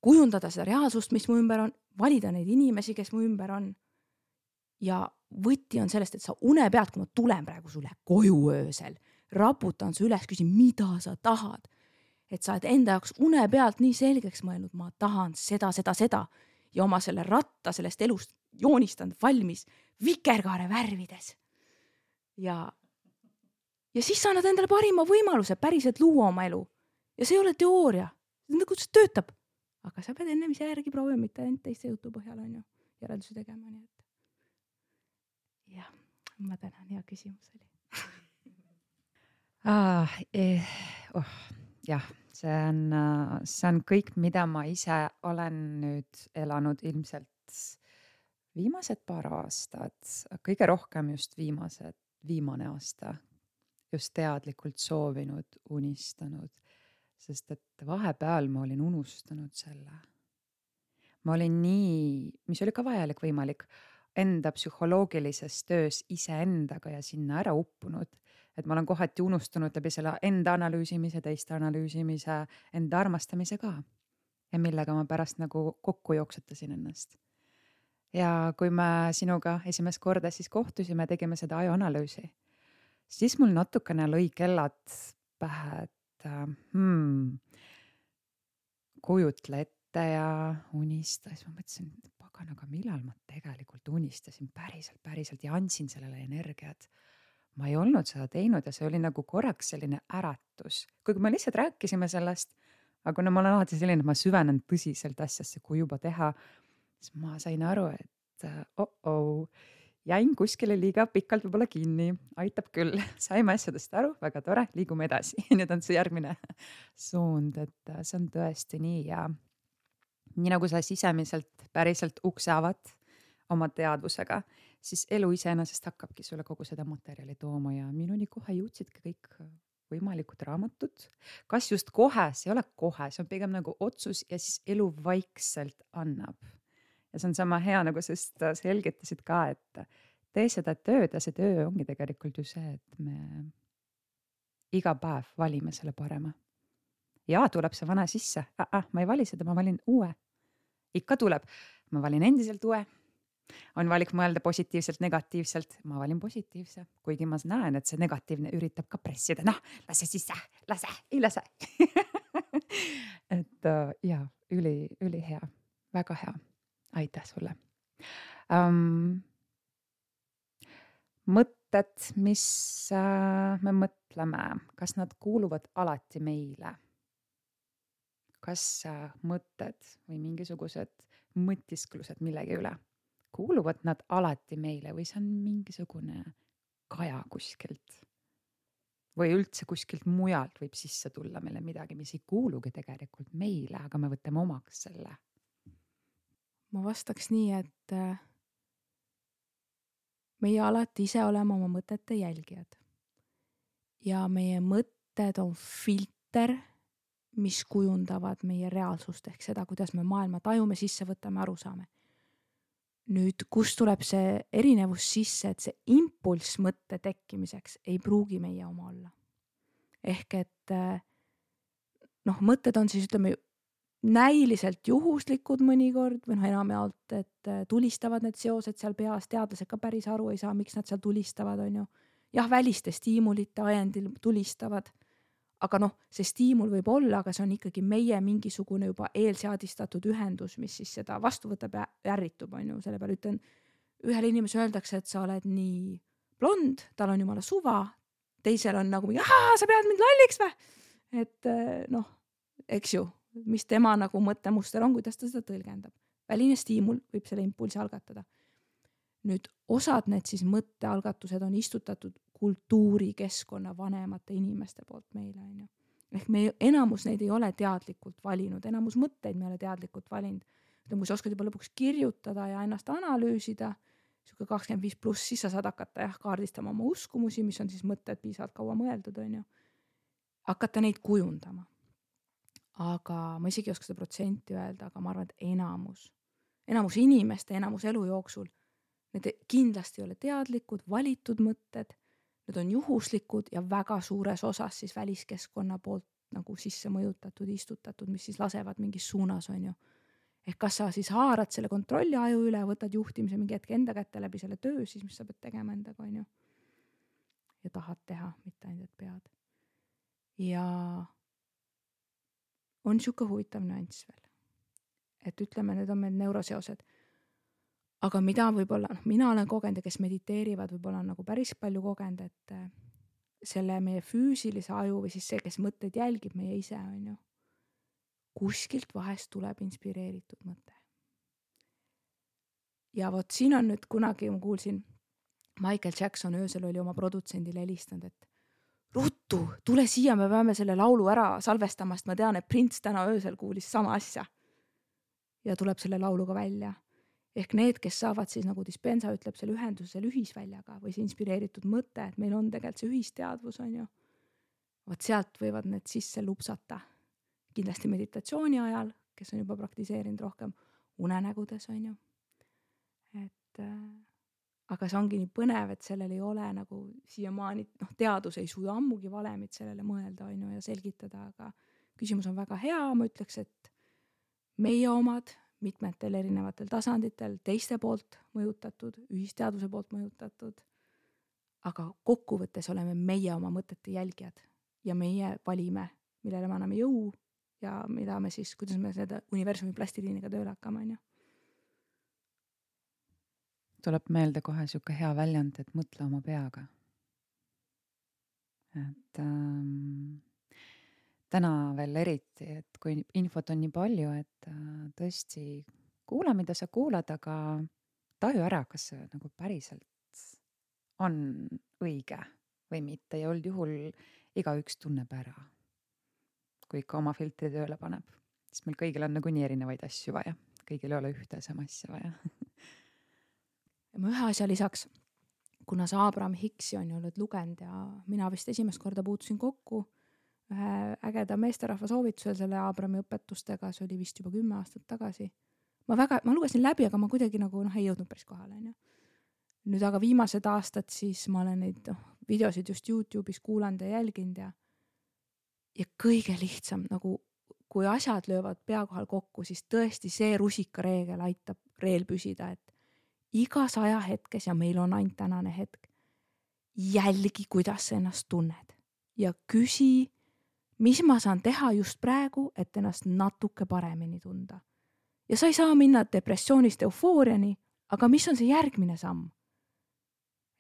kujundada seda reaalsust, mis mu ümber on, valida neid inimesi, kes mu ümber on. Ja võti on sellest, et sa une pealt, kui ma tulen praegu sulle koju öösel, raputan su üles, küsin, mida sa tahad. Et sa oled enda jaoks une pealt nii selgeks mõelnud, ma tahan seda, seda, seda ja oma selle ratta sellest elust joonistanud valmis vikerkaare värvides. Ja, ja siis sa annad endale parima võimaluse päriselt luua oma elu. Ja see ei ole teooria. Nagu see töötab. Aga sa pead ennem ise järgi proovima, mitte ainult teiste jutu põhjal on ju järeldusi tegema. Nii et. Jah, ma tänan, hea küsimus oli. Ah, eh, oh, jah, see on, see on kõik, mida ma ise olen nüüd elanud ilmselt viimased paar aastat, kõige rohkem just viimased, viimane aasta, just teadlikult soovinud, unistanud, sest et vahepeal ma olin unustanud selle. Ma olin nii, mis oli ka vajalik võimalik, enda psühholoogilises töös iseendaga ja sinna ära uppunud. Et ma olen kohati unustanud läbi selle enda analüüsimise, teiste analüüsimise, enda armastamise ka. Ja millega ma pärast nagu kokku jooksetasin ennast. Ja kui me sinuga esimest korda siis kohtusime, tegime seda ajuanalüüsi, siis mul natukene lõi kellad pähe, et hmm, kujutle ette ja unista. Siis ma mõtlesin, pagan, aga millal ma tegelikult unistasin päriselt, päriselt ja andsin sellele energiat. Ma ei olnud seda teinud ja see oli nagu korraks selline äratus. Kuigi me lihtsalt rääkisime sellest, aga no ma olen alati selline, et ma süvenen tõsiselt asjasse, kui juba teha, siis ma sain aru, et oh-oh, jäin kuskile liiga pikalt võib-olla kinni, aitab küll, saime asjadest aru, väga tore, liigume edasi. Nüüd on see järgmine suund, et see on tõesti nii ja nii nagu sa sisemiselt päriselt ukse avad oma teadvusega, siis elu iseenesest hakkabki sulle kogu seda materjali tooma ja minuni kohe jõudsidki kõik võimalikud raamatud. Kas just kohe, see ei ole kohe, see on pigem nagu otsus ja siis elu vaikselt annab. Ja see on sama hea, nagu sest selgitasid ka, et tee seda tööd ja see töö ongi tegelikult ju see, et me iga päev valime selle parema. Ja tuleb see vana sisse, ah, ah, ma ei vali seda, ma valin uue. Ikka tuleb, ma valin endiselt uue. On valik mõelda positiivselt, negatiivselt, ma valin positiivse, kuigi ma näen, et see negatiivne üritab ka pressida, noh, lase sisse, lase, ei lase. et uh, ja, üli, üli hea, väga hea, aitäh sulle. Um, mõtted, mis uh, me mõtleme, kas nad kuuluvad alati meile? Kas uh, mõtted või mingisugused mõtisklused millegi üle? Kuuluvad nad alati meile või see on mingisugune kaja kuskilt või üldse kuskilt mujalt võib sisse tulla meile midagi, mis ei kuulugi tegelikult meile, aga me võtame omaks selle. Ma vastaks nii, et meie alati ise oleme oma mõtete jälgijad ja meie mõtted on filter, mis kujundavad meie reaalsust ehk seda, kuidas me maailma tajume, sisse võtame, aru saame. Nüüd, kus tuleb see erinevus sisse, et see impulss mõtte tekkimiseks ei pruugi meie oma olla. Ehk et noh, mõtted on siis, ütleme, näiliselt juhuslikud mõnikord või noh, enamjaolt, et tulistavad need seosed seal peas, teadlased ka päris aru ei saa, miks nad seal tulistavad, on ju. Jah, väliste stiimulite ajendil tulistavad, aga noh, see stiimul võib olla, aga see on ikkagi meie mingisugune juba eelseadistatud ühendus, mis siis seda vastu võtab ja ärritub, on ju. Selle peale ütlen, ühele inimesele öeldakse, et sa oled nii blond, tal on jumala suva, teisel on nagu, ahaa, sa pead mind lolliks või? Et noh, eks ju, mis tema nagu mõttemuster on, kuidas ta seda tõlgendab. Väline stiimul võib selle impulsi algatada. Nüüd osad need siis mõttealgatused on istutatud kultuurikeskkonna vanemate inimeste poolt meile, on ju. Ehk me enamus neid ei ole teadlikult valinud, enamus mõtteid me ei ole teadlikult valinud. Kui sa oskad juba lõpuks kirjutada ja ennast analüüsida, siuke kakskümmend viis pluss, siis sa saad hakata jah, kaardistama oma uskumusi, mis on siis mõtted piisavalt kaua mõeldud, on ju. Hakata neid kujundama. Aga ma isegi ei oska seda protsenti öelda, aga ma arvan, et enamus, enamus inimeste, enamus elu jooksul, need kindlasti ei ole teadlikud, valitud mõtted, need on juhuslikud ja väga suures osas siis väliskeskkonna poolt nagu sisse mõjutatud, istutatud, mis siis lasevad mingis suunas, on ju. Ehk kas sa siis haarad selle kontrolli aju üle, võtad juhtimise mingi hetk enda kätte läbi selle töö, siis mis sa pead tegema endaga, on ju. Ja tahad teha, mitte ainult pead. Ja on siuke huvitav nüanss veel. Et ütleme, need on meil neuroseosed. Aga mida võib-olla, no, mina olen kogenud ja kes mediteerivad, võib-olla on nagu päris palju kogenud, et selle meie füüsilise aju või siis see, kes mõtteid jälgib meie ise, on ju. Kuskilt vahest tuleb inspireeritud mõte. Ja vot siin on nüüd kunagi, ma kuulsin, Michael Jackson öösel oli oma produtsendile helistanud, et ruttu, tule siia, me peame selle laulu ära salvestamast, ma tean, et Prince täna öösel kuulis sama asja. Ja tuleb selle lauluga välja. Ehk need, kes saavad siis, nagu Dispenza ütleb, selle ühenduse ühisväljaga või see inspireeritud mõte, et meil on tegelikult see ühisteadvus, on ju. Vot sealt võivad need sisse lupsata. Kindlasti meditatsiooni ajal, kes on juba praktiseerinud rohkem, unenägudes, on ju. Et, äh, aga see ongi nii põnev, et sellel ei ole nagu siiamaani, noh, teadus ei suuda ammugi valemit sellele mõelda, on ju, ja selgitada, aga küsimus on väga hea, ma ütleks, et meie omad mitmetel erinevatel tasanditel, teiste poolt mõjutatud, ühisteaduse poolt mõjutatud, aga kokkuvõttes oleme meie oma mõtete jälgijad ja meie valime, millele me anname jõu ja mida me siis, kuidas me seda universumi plastiliiniga tööle hakkame, on ju. Tuleb meelde kohe siuke hea väljend, et mõtle oma peaga. Et ähm, täna veel eriti, et kui infot on nii palju, et äh, tõesti kuula, mida sa kuulad, aga taju ära, kas see nagu päriselt on õige või mitte. Ja old juhul igaüks tunneb ära, kui ikka oma filtri tööle paneb. Sest meil kõigil on nagu nii erinevaid asju vaja. Kõigil ei ole ühte sama asja vaja. Ja ma ühe asja lisaks, kuna sa Abraham Hicksi on ju oled lugenud ja mina vist esimest korda puutusin kokku ühe ägeda meesterahva soovitusel selle Abrahami õpetustega, see oli vist juba kümme aastat tagasi. Ma väga, ma lugesin läbi, aga ma kuidagi nagu noh, ei jõudnud päris kohale. On ju. Nüüd aga viimased aastad siis ma olen neid noh, videosid just YouTube'is kuulanud ja jälginud ja, ja kõige lihtsam, nagu kui asjad löövad pea kohal kokku, siis tõesti see rusikareegel aitab reel püsida, et igas ajahetkes ja meil on ainult tänane hetk, jälgi, kuidas sa ennast tunned ja küsi, mis ma saan teha just praegu, et ennast natuke paremini tunda. Ja sa ei saa minna depressioonist eufooriani, aga mis on see järgmine samm?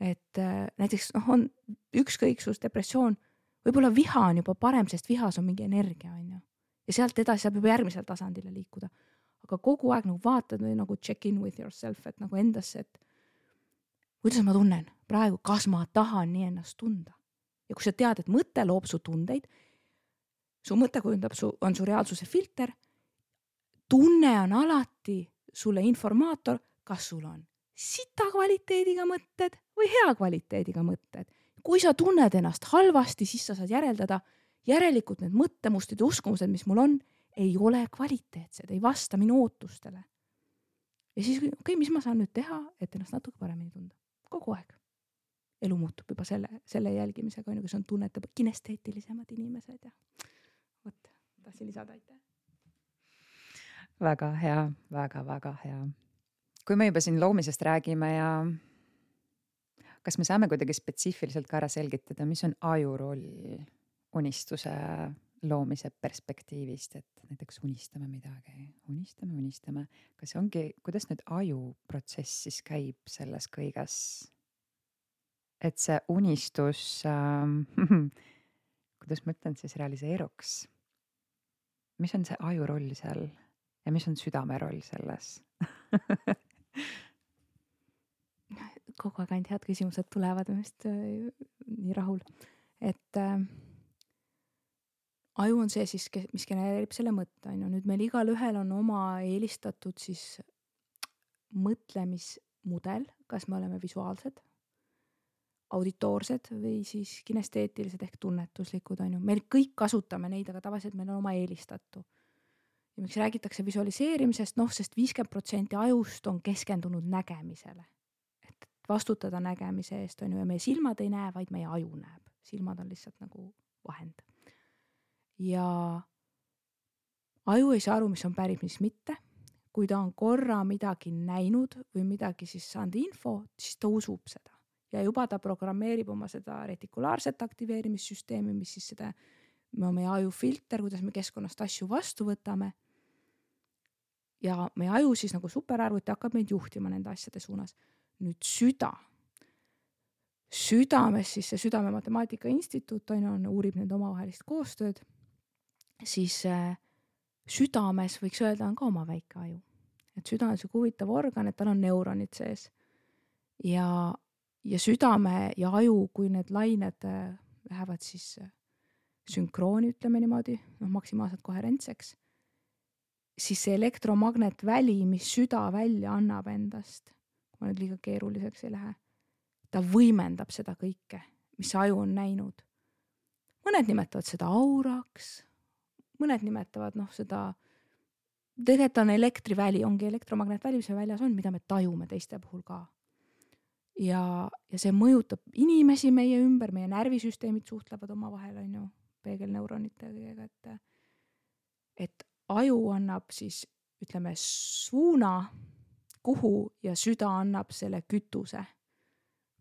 Et äh, näiteks noh, on ükskõiksus, depressioon, võib-olla viha on juba parem, sest vihas on mingi energia, on ju. Ja sealt edasi saab juba järgmisel tasandile liikuda. Aga kogu aeg nagu vaatad või nagu check in with yourself, et nagu endasse, et kuidas ma tunnen praegu, kas ma tahan nii ennast tunda. Ja kui sa tead, et mõte loob su tundeid, su mõte kujundab, su, on su reaalsuse filter, tunne on alati sulle informaator, kas sul on sita kvaliteediga mõtted või hea kvaliteediga mõtted. Kui sa tunned ennast halvasti, siis sa saad järeldada, järelikult need mõttemustid ja uskumused, mis mul on, ei ole kvaliteetsed, ei vasta minu ootustele. Ja siis, okei, okay, mis ma saan nüüd teha, et ennast natuke paremini tunda? Kogu aeg. Elu muutub juba selle, selle jälgimisega, kes on tunnete kinesteetilisemad inimesed ja võt, tahtsin lisada, aitäh. väga hea, väga-väga hea. Kui me juba siin loomisest räägime ja kas me saame kuidagi spetsiifiliselt ka ära selgitada, mis on aju roll unistuse loomise perspektiivist, et näiteks unistame midagi, unistame, unistame. Kas see ongi, kuidas nüüd aju protsess siis käib selles kõiges? Et see unistus, ähm, kuidas ma ütlen, siis realiseeruks? Mis on see aju roll seal ja mis on südame roll selles? Kogu aeg ainult head küsimused tulevad, ma vist äh, nii rahul. Et äh, aju on see siis, kes- mis genereerib selle mõtte, on ju. Nüüd meil igal ühel on oma eelistatud siis mõtlemismudel, kas me oleme visuaalsed, auditoorsed või siis kinesteetilised ehk tunnetuslikud, on ju. Meil kõik kasutame neid, aga tavaliselt meil on oma eelistatu. Ja miks räägitakse visualiseerimisest, noh, sest viiskümmend protsenti ajust on keskendunud nägemisele. Et vastutada nägemise eest, on ju, ja meie silmad ei näe, vaid meie aju näeb. Silmad on lihtsalt nagu vahend. Ja aju ei saa aru, mis on päris, mis mitte. Kui ta on korra midagi näinud või midagi siis saanud info, siis ta usub seda. Ja juba ta programmeerib oma seda retikulaarset aktiveerimissüsteemi, mis siis seda, meie aju filter, kuidas me keskkonnast asju vastu võtame. Ja meie aju siis nagu superarvuti hakkab meid juhtima nende asjade suunas. Nüüd süda. Südames siis see Südame Matemaatika Instituut on, on, uurib nende omavahelist koostööd. Siis äh, südames võiks öelda on ka oma väike aju. Et süda on see huvitav organ, et tal on neuronid sees. Ja, ja südame ja aju, kui need lained äh, lähevad siis äh, sünkrooni, ütleme niimoodi, noh, maksimaalselt koherentseks, siis see elektromagnetväli, mis süda välja annab endast, kui ma nüüd liiga keeruliseks ei lähe, ta võimendab seda kõike, mis aju on näinud. Mõned nimetavad seda auraks, mõned nimetavad noh seda, tegelikult on elektriväli, ongi elektromagnetväli, mis väljas on, mida me tajume teiste puhul ka. Ja, ja see mõjutab inimesi meie ümber, meie närvisüsteemid suhtlevad oma vahel, on ju, peegelneuronitega, et, et aju annab siis, ütleme, suuna, kuhu ja süda annab selle kütuse.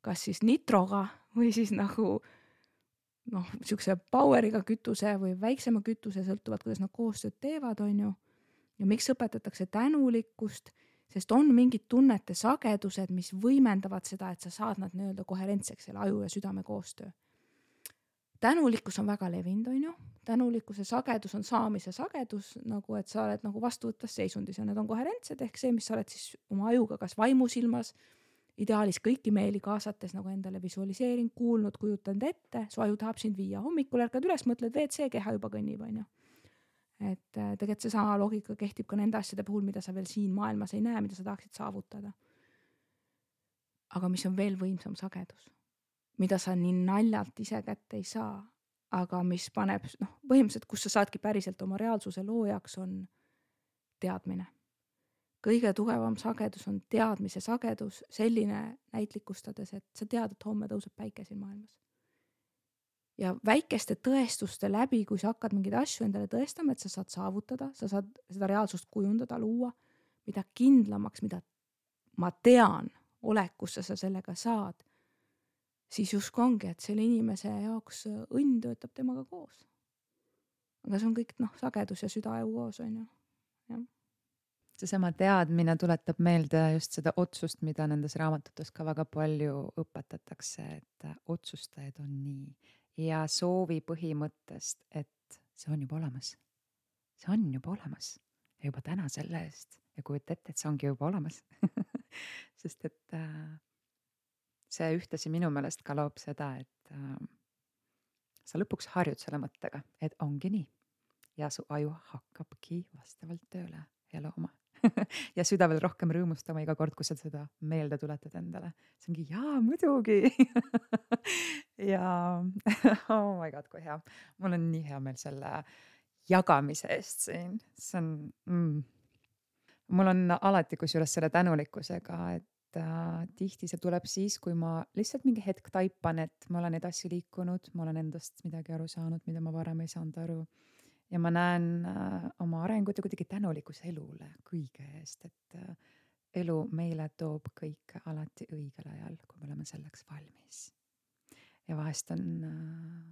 Kas siis nitroga või siis nagu noh, siukse poweriga kütuse või väiksema kütuse, sõltuvad, kuidas nad koostööd teevad, on ju. Ja miks õpetatakse tänulikkust, sest on mingid tunnete sagedused, mis võimendavad seda, et sa saad nad nii-öelda koherentseks, selle aju ja südame koostöö. Tänulikkus on väga levinud, on ju. Tänulikkuse sagedus on saamise sagedus, nagu et sa oled nagu vastuvõttes seisundis ja need on koherentsed, ehk see, mis sa oled siis oma ajuga kas vaimusilmas, ideaalis kõiki meeli kaasates nagu endale visualiseerin, kuulnud, kujutanud ette, su aju tahab sind viia. Hommikul ärkad üles, mõtled V C, keha juba kõnnib, on ju. Et tegelikult see sama loogika kehtib ka nende asjade puhul, mida sa veel siin maailmas ei näe, mida sa tahaksid saavutada. Aga mis on veel võimsam sagedus, mida sa nii naljalt ise kätte ei saa, aga mis paneb, noh, põhimõtteliselt, kus sa saadki päriselt oma reaalsuse loojaks, on teadmine. Kõige tugevam sagedus on teadmise sagedus, selline näitlikustades, et sa tead, et homme tõuseb päike siin maailmas. Ja väikeste tõestuste läbi, kui sa hakkad mingeid asju endale tõestama, et sa saad saavutada, sa saad seda reaalsust kujundada, luua, mida kindlamaks, mida ma tean olekusse sa sellega saad, siis justkui ongi, et selle inimese jaoks õnn töötab temaga koos. Aga see on kõik noh, sagedus ja südaaju koos, on ju. Ja. See sama teadmine tuletab meelde just seda otsust, mida nendes raamatutes ka väga palju õpetatakse, et otsustajaid on nii. Ja soovi põhimõttest, et see on juba olemas. See on juba olemas. Ja juba täna selle eest. Ja kujuta ette, et see ongi juba olemas. Sest et äh, see ühtesi minu meelest ka loob seda, et äh, sa lõpuks harjud selle mõttega, et ongi nii. Ja su aju hakkabki vastavalt tööle ja looma. Ja süda veel rohkem rõõmustama iga kord, kui sa seda meelde tuletad endale. See ongi, jaa, muidugi. Ja oh my god, kui hea. Mul on nii hea meel selle jagamise eest siin. See on, mm. Mul on alati kusjuures selle tänulikkusega, et äh, tihti see tuleb siis, kui ma lihtsalt mingi hetk taipan, et ma olen edasi liikunud, ma olen endast midagi aru saanud, mida ma varem ei saanud aru. ja ma näen äh, oma arengut ja kuidagi tänulikkus elule kõige eest, et äh, elu meile toob kõike alati õigel ajal, kui me oleme selleks valmis. Ja vahest on äh,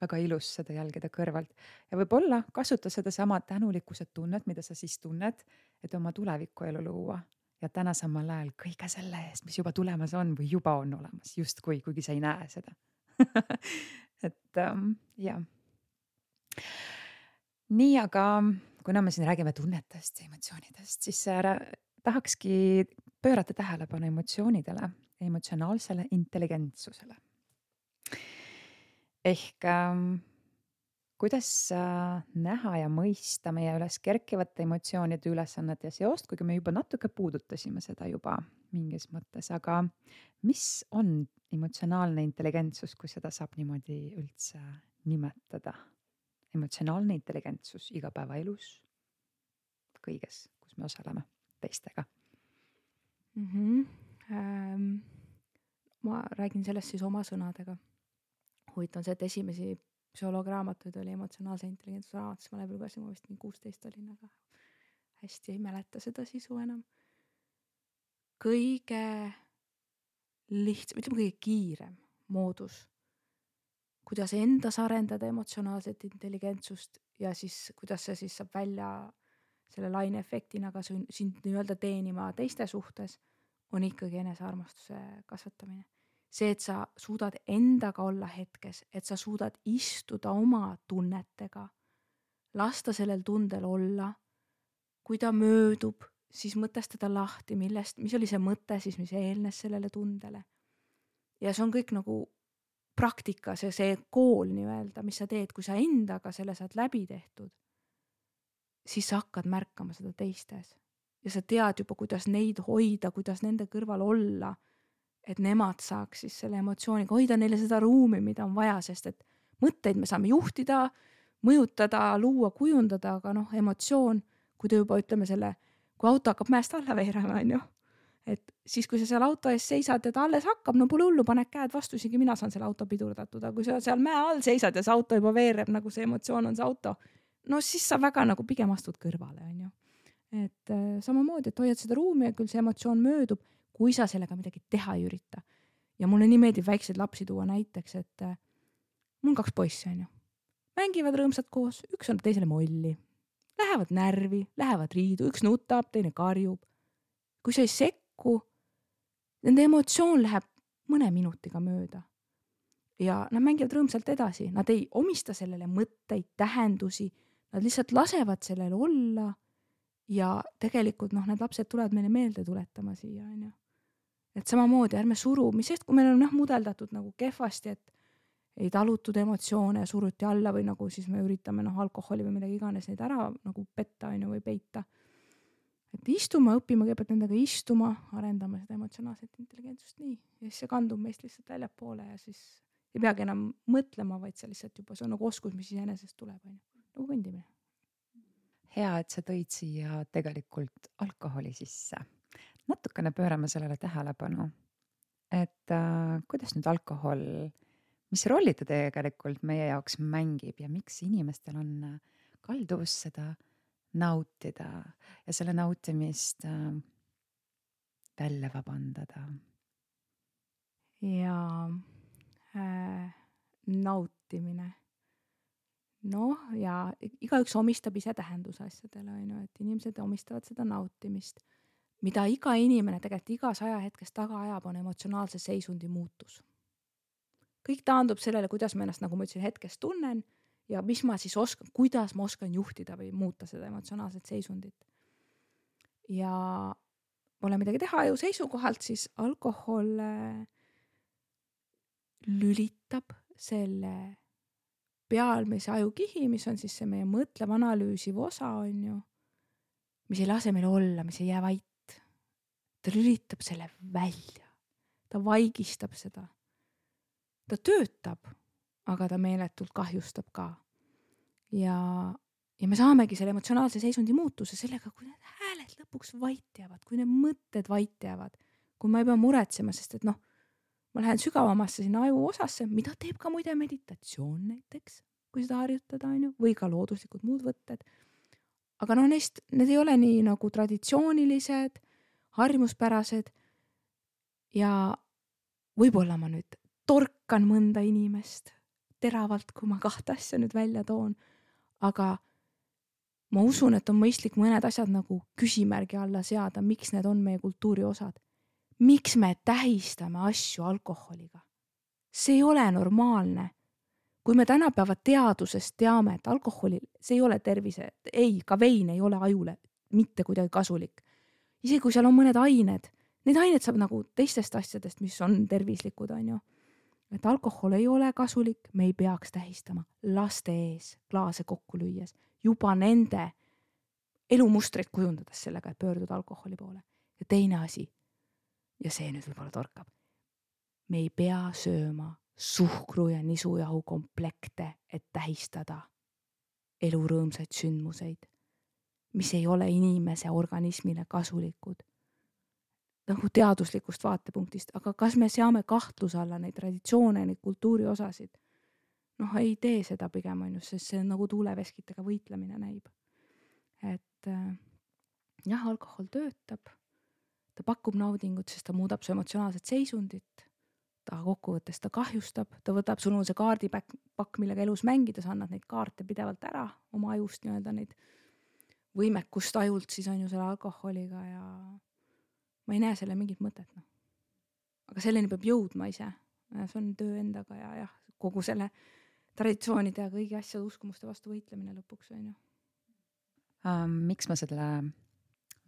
väga ilus seda jälgida kõrvalt ja võib-olla kasuta seda sama tänulikkuse tunnet, mida sa siis tunned, et oma tuleviku elu luua ja täna samal ajal kõige selle eest, mis juba tulemas on või juba on olemas, justkui, kuigi sa ei näe seda. et ähm, jah. Nii, aga kuna me siin räägime tunnetest ja emotsioonidest, siis ära, tahakski pöörata tähelepanu emotsioonidele, emotsionaalsele intelligentsusele. Ehk ähm, kuidas äh, näha ja mõista meie üles kerkivate emotsioonide ülesannet ja seost, kuigi me juba natuke puudutasime seda juba mingis mõttes, aga mis on emotsionaalne intelligentsus, kui seda saab niimoodi üldse nimetada? Emotsionaalne intelligentsus igapäevaelus, kõiges, kus me osaleme teistega. mm-hmm. ähm, ma räägin sellest siis oma sõnadega. Huvitav on see, et esimesi psühholoograamatuid oli emotsionaalse intelligentsuse raamatus, ma läbi lugesin, ma vist nii kuusteist olin, aga hästi ei mäleta seda sisu enam. Kõige lihtsam, ütleme kõige kiirem moodus, kuidas endas arendada emotsionaalset intelligentsust ja siis kuidas see siis saab välja selle laine efektina ka sind nii-öelda teenima teiste suhtes, on ikkagi enesearmastuse kasvatamine. See, et sa suudad endaga olla hetkes, et sa suudad istuda oma tunnetega, lasta sellel tundel olla, kui ta möödub, siis mõtestada lahti, millest, mis oli see mõte siis, mis eelnes sellele tundele. Ja see on kõik nagu praktika, see, see kool nii-öelda, mis sa teed, kui sa endaga selle saad läbi tehtud, siis sa hakkad märkama seda teistes. Ja sa tead juba, kuidas neid hoida, kuidas nende kõrval olla, et nemad saaks siis selle emotsiooniga hoida neile seda ruumi, mida on vaja, sest et mõtteid me saame juhtida, mõjutada, luua, kujundada, aga noh, emotsioon, kui te juba ütleme selle, kui auto hakkab mäest alla veerema, on ju, et siis, kui sa seal auto ees seisad ja ta alles hakkab, no pole hullu, paned käed vastu, isegi mina saan selle auto pidurdatud, aga kui sa seal mäe all seisad ja see auto juba veereb, nagu see emotsioon on see auto, no siis sa väga nagu pigem astud kõrvale, on ju. Et äh, samamoodi, et hoiad seda ruumi ja küll see emotsioon möödub, kui sa sellega midagi teha ei ürita. Ja mulle nii meeldib väikseid lapsi tuua näiteks, et äh, mul on kaks poissi, on ju. Mängivad rõõmsad koos, üks on teisele molli. Lähevad närvi, lähevad riidu, üks nutab, teine karjub. Kui sa ei sekku, nende emotsioon läheb mõne minutiga mööda. Ja nad mängivad rõõmsalt edasi. Nad ei omista sellele mõtteid, tähendusi. Nad lihtsalt lasevad sellele olla. Ja tegelikult noh, need lapsed tulevad meile meelde tuletama siia, on ju. Et samamoodi ärme suru, mis sest, kui meil on noh, mudeldatud nagu kehvasti, et ei talutud emotsioone ja suruti alla või nagu siis me üritame noh, alkoholi või midagi iganes neid ära nagu petta, on ju, või peita. Et istume, õpime kõigepealt nendega istuma, arendame seda emotsionaalset intelligentsust nii. Ja siis see kandub meist lihtsalt väljapoole ja siis ei peagi enam mõtlema, vaid see lihtsalt juba see on nagu oskus, mis iseenesest tuleb, on ju. Nagu kõndimine. Hea, et sa tõid siia tegelikult alkoholi sisse. Natukene pöörame sellele tähelepanu, et äh, kuidas nüüd alkohol, mis rolli ta tegelikult meie jaoks mängib ja miks inimestel on kalduvus seda nautida ja selle nautimist äh, välja vabandada. Ja äh, nautimine. Noh, ja igaüks omistab ise tähenduse asjadele, on ju, et inimesed omistavad seda nautimist. Mida iga inimene tegelikult igas ajahetkes taga ajab, on emotsionaalse seisundi muutus. Kõik taandub sellele, kuidas ma ennast, nagu ma ütlesin, hetkes tunnen ja mis ma siis oskan, kuidas ma oskan juhtida või muuta seda emotsionaalset seisundit. Ja pole midagi teha ju seisukohalt, siis alkohol lülitab selle pealmise ajukihi, mis on siis see meie mõtlev analüüsiv osa, on ju, mis ei lase meil olla, mis ei jää vait. Ta lülitab selle välja. Ta vaigistab seda. Ta töötab, aga ta meeletult kahjustab ka. Ja, ja me saamegi selle emotsionaalse seisundi muutuse sellega, kui need hääled lõpuks vait jäävad, kui need mõtted vait jäävad, kui ma ei pea muretsema, sest et noh, ma lähen sügavamasse sinna aju osasse, mida teeb ka muide meditatsioon näiteks. kui seda harjutada, on ju, või ka looduslikud muud võtted. Aga noh, neist, need ei ole nii nagu traditsioonilised, harjumuspärased ja võib-olla ma nüüd torkan mõnda inimest teravalt, kui ma kahte asja nüüd välja toon, aga ma usun, et on mõistlik mõned asjad nagu küsimärgi alla seada, miks need on meie kultuuri osad. Miks me tähistame asju alkoholiga? See ei ole normaalne. Kui me tänapäeva teadusest teame, et alkoholi, see ei ole tervise, ei, ka vein ei ole ajule mitte kuidagi kasulik. Isegi kui seal on mõned ained, need ained saab nagu teistest asjadest, mis on tervislikud, on ju. Et alkohol ei ole kasulik, me ei peaks tähistama laste ees klaase kokku lüües, juba nende elumustreid kujundades sellega, et pöörduda alkoholi poole. Ja teine asi, ja see nüüd võib-olla torkab, me ei pea sööma suhkru ja nisujahu komplekte, et tähistada elurõõmsaid sündmuseid, mis ei ole inimese organismile kasulikud. Nagu teaduslikust vaatepunktist, aga kas me seame kahtluse alla neid traditsioone, neid kultuuri osasid? Noh, ei tee seda pigem, on just, sest see on nagu tuuleveskitega võitlemine näib. Et jah, alkohol töötab, ta pakub naudingut, sest ta muudab su emotsionaalset seisundit, ta kokkuvõttes ta kahjustab, ta võtab sul see kaardipakk, millega elus mängida, sa annad neid kaarte pidevalt ära, oma ajust nii-öelda neid võimekust ajult siis on ju selle alkoholiga ja ma ei näe selle mingit mõtet. No. Aga selleni peab jõudma ise. See on töö endaga ja jah, kogu selle traditsioonide ja kõigi asjade uskumuste vastu võitlemine lõpuks on ju. Um, miks ma selle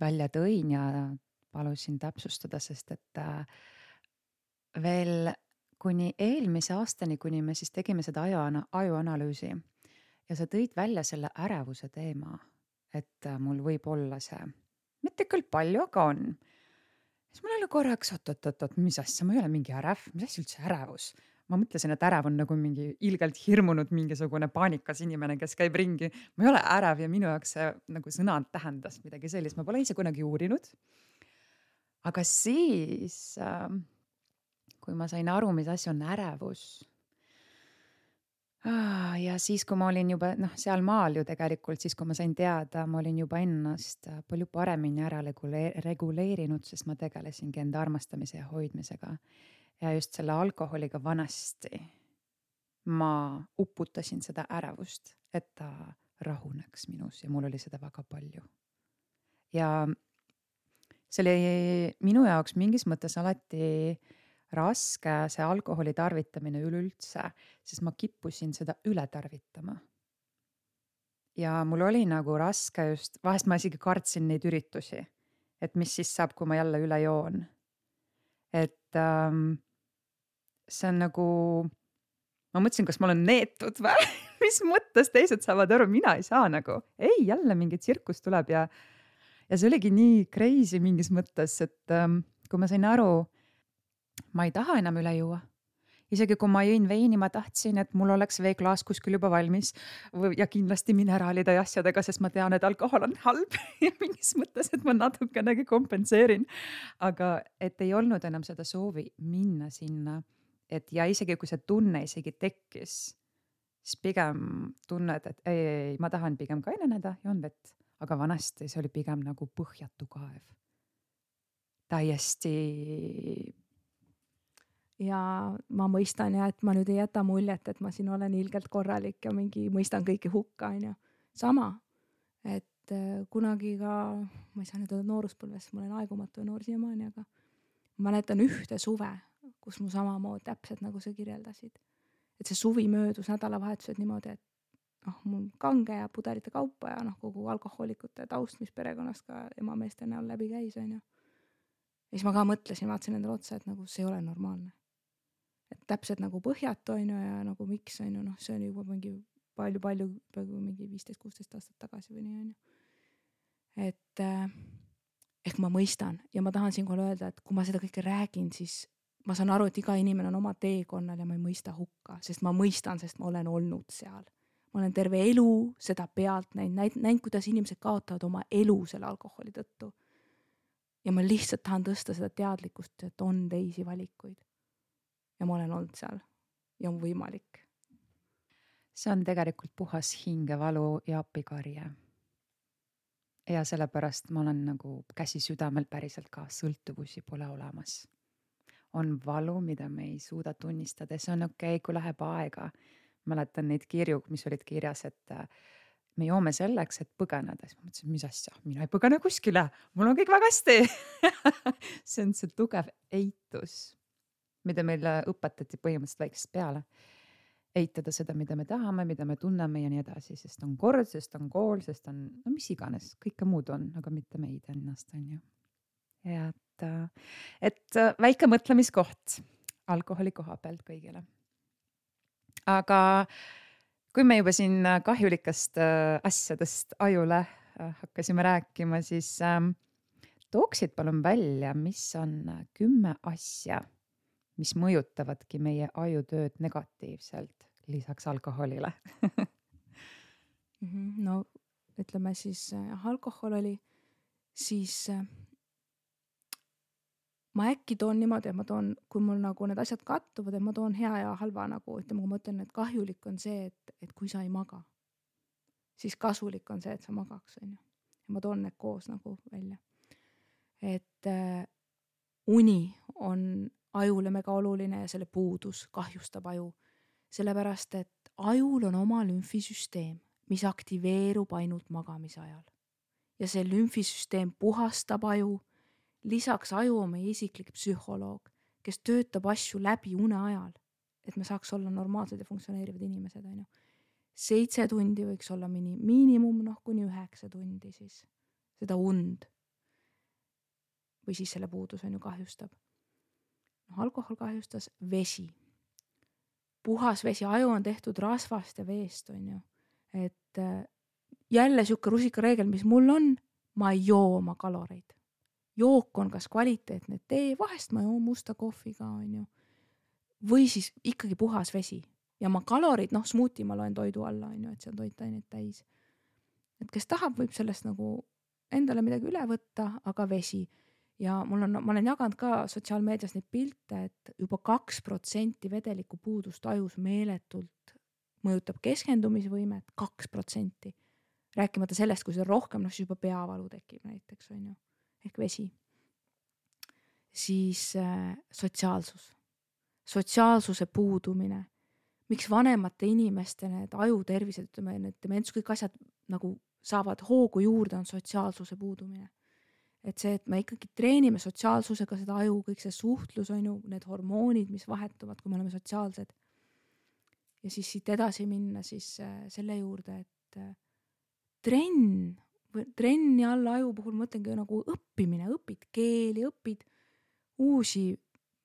välja tõin ja palusin täpsustada, sest et äh, veel kuni eelmise aastani, kuni me siis tegime seda aju, ajuanalüüsi ja sa tõid välja selle ärevuse teema, et äh, mul võib olla see, mitte küll palju, aga on. Siis mul oli korraks, oot, oot, oot, oot, mis asja, ma ei ole mingi ärev, mis asja üldse ärevus? Ma mõtlesin, et ärev on nagu mingi ilgelt hirmunud mingisugune paanikas inimene, kes käib ringi. Ma ei ole ärev ja minu jaoks see nagu sõna tähendas midagi sellist. Ma pole ise kunagi uurinud. Aga siis, äh, kui ma sain aru, mis asja on ärevus, ah, ja siis, kui ma olin juba noh, seal maal ju tegelikult, siis kui ma sain teada, ma olin juba ennast palju paremini ära reguleerinud, sest ma tegelesingi enda armastamise ja hoidmisega. Ja just selle alkoholiga vanasti ma uputasin seda ärevust, et ta rahuneks minus ja mul oli seda väga palju. Ja see oli minu jaoks mingis mõttes alati raske see alkoholi tarvitamine üleüldse, sest ma kippusin seda üle tarvitama. Ja mul oli nagu raske just, vahest ma isegi kartsin neid üritusi, et mis siis saab, kui ma jälle üle joon. Et ähm, see on nagu, ma mõtlesin, kas ma olen neetud või? Mis mõttes teised saavad aru, mina ei saa nagu. Ei, jälle mingi tsirkus tuleb ja, ja see oligi nii crazy mingis mõttes, et ähm, kui ma sain aru, ma ei taha enam üle juua. Isegi kui ma jõin veini, ma tahtsin, et mul oleks veeklaas kuskil juba valmis ja kindlasti mineraalide ja asjadega, sest ma tean, et alkohol on halb ja mingis mõttes, et ma natukenegi kompenseerin. Aga et ei olnud enam seda soovi minna sinna, et ja isegi kui see tunne isegi tekkis, siis pigem tunned, et ei, ei, ei, ma tahan pigem kaineneda ja on vett. Aga vanasti see oli pigem nagu põhjatu kaev. Täiesti... Ja ma mõistan ja, et ma nüüd ei jäta muljet, et ma siin olen ilgelt korralik ja mingi mõistan kõiki hukka, on ju. Sama, et kunagi ka, ma ei saa nüüd öelda nooruspõlves, ma olen aegumatu ja noor siiamaani, aga ma mäletan ühte suve, kus mu samamoodi täpselt nagu sa kirjeldasid. Et see suvi möödus nädalavahetused niimoodi, et noh, mul kange ja pudelite kaupa ja noh, kogu alkohoolikute taust, mis perekonnast ka emameeste näol läbi käis, on ju. Ja siis ma ka mõtlesin, vaatasin endale otsa, et nagu see ei ole normaalne. Et täpselt nagu põhjatu on ju ja nagu miks on ju, noh, see on juba mingi palju-palju, mingi viisteist kuusteist aastat tagasi või nii on ju. Et eh, ehk ma mõistan ja ma tahan siinkohal öelda, et kui ma seda kõike räägin, siis ma saan aru, et iga inimene on oma teekonnal ja ma ei mõista hukka, sest ma mõistan, sest ma olen olnud seal. Ma olen terve elu seda pealt näinud, näinud, kuidas inimesed kaotavad oma elu selle alkoholi tõttu. Ja ma lihtsalt tahan tõsta seda teadlikkust, et on teisi valikuid. Ja ma olen olnud seal ja on võimalik. see on tegelikult puhas hingevalu ja appikarje. Ja sellepärast ma olen nagu käsi südamel päriselt ka, sõltuvusi pole olemas. On valu, mida me ei suuda tunnistada, see on okei okay,, kui läheb aega. Mäletan neid kirju, mis olid kirjas, et me joome selleks, et põgeneda. Siis ma mõtlesin, mis asja, mina ei põgene kuskile, mul on kõik väga hästi. See on see tugev eitus, mida meile õpetati põhimõtteliselt väiksest peale. Eitada seda, mida me tahame, mida me tunneme ja nii edasi, sest on kord, sest on kool, sest on no, mis iganes, kõike muud on, aga mitte meid ennast on ju. Ja et, et väike mõtlemiskoht alkoholi koha pealt kõigile. Aga kui me juba siin kahjulikast asjadest ajule hakkasime rääkima, siis tooksid palun välja, mis on kümme asja, mis mõjutavadki meie ajutööd negatiivselt lisaks alkoholile. No ütleme siis alkohol oli, siis ma äkki toon niimoodi, et ma toon, kui mul nagu need asjad kattuvad, et ma toon hea ja halva nagu, ütleme, kui ma ütlen, et kahjulik on see, et, et kui sa ei maga, siis kasulik on see, et sa magaks, on ju. Ja ma toon need koos nagu välja. Et äh, uni on ajule mega oluline ja selle puudus kahjustab aju. Sellepärast, et ajul on oma lümfisüsteem, mis aktiveerub ainult magamise ajal. Ja see lümfisüsteem puhastab aju. Lisaks aju on meie isiklik psühholoog, kes töötab asju läbi une ajal, et me saaks olla normaalsed ja funktsioneerivad inimesed. On ju. Seitse tundi võiks olla mini, miinimum, noh, kuni üheksa tundi siis seda und. Või siis selle puudus on ju kahjustab. No, alkohol kahjustas vesi. Puhas vesi, aju on tehtud rasvast ja veest, on ju. Et jälle siuke rusikareegel, mis mul on, ma ei joo oma kaloreid. Jook on kas kvaliteetne tee, vahest ma joon musta kohviga, on ju. Või siis ikkagi puhas vesi. Ja ma kalorid, noh, smuuti ma loen toidu alla, on ju, et see on toitaineid täis. Et kes tahab, võib sellest nagu endale midagi üle võtta, aga vesi. Ja mul on, ma olen jaganud ka sotsiaalmeedias neid pilte, et juba kaks protsenti vedeliku puudust ajus meeletult mõjutab keskendumisvõimet, kaks protsenti. Rääkimata sellest, kui see rohkem, noh, siis juba peavalu tekib näiteks, on ju. Ehk vesi. Siis äh, sotsiaalsus. Sotsiaalsuse puudumine. Miks vanemate inimeste need ajutervised, ütleme, need dements, kõik asjad nagu saavad hoogu juurde, on sotsiaalsuse puudumine. Et see, et me ikkagi treenime sotsiaalsusega seda aju, kõik see suhtlus on ju, need hormoonid, mis vahetuvad, kui me oleme sotsiaalsed. Ja siis siit edasi minna siis äh, selle juurde, et äh, trenn, trenni alla aju puhul mõtlengi nagu õppimine, õpid keeli, õpid uusi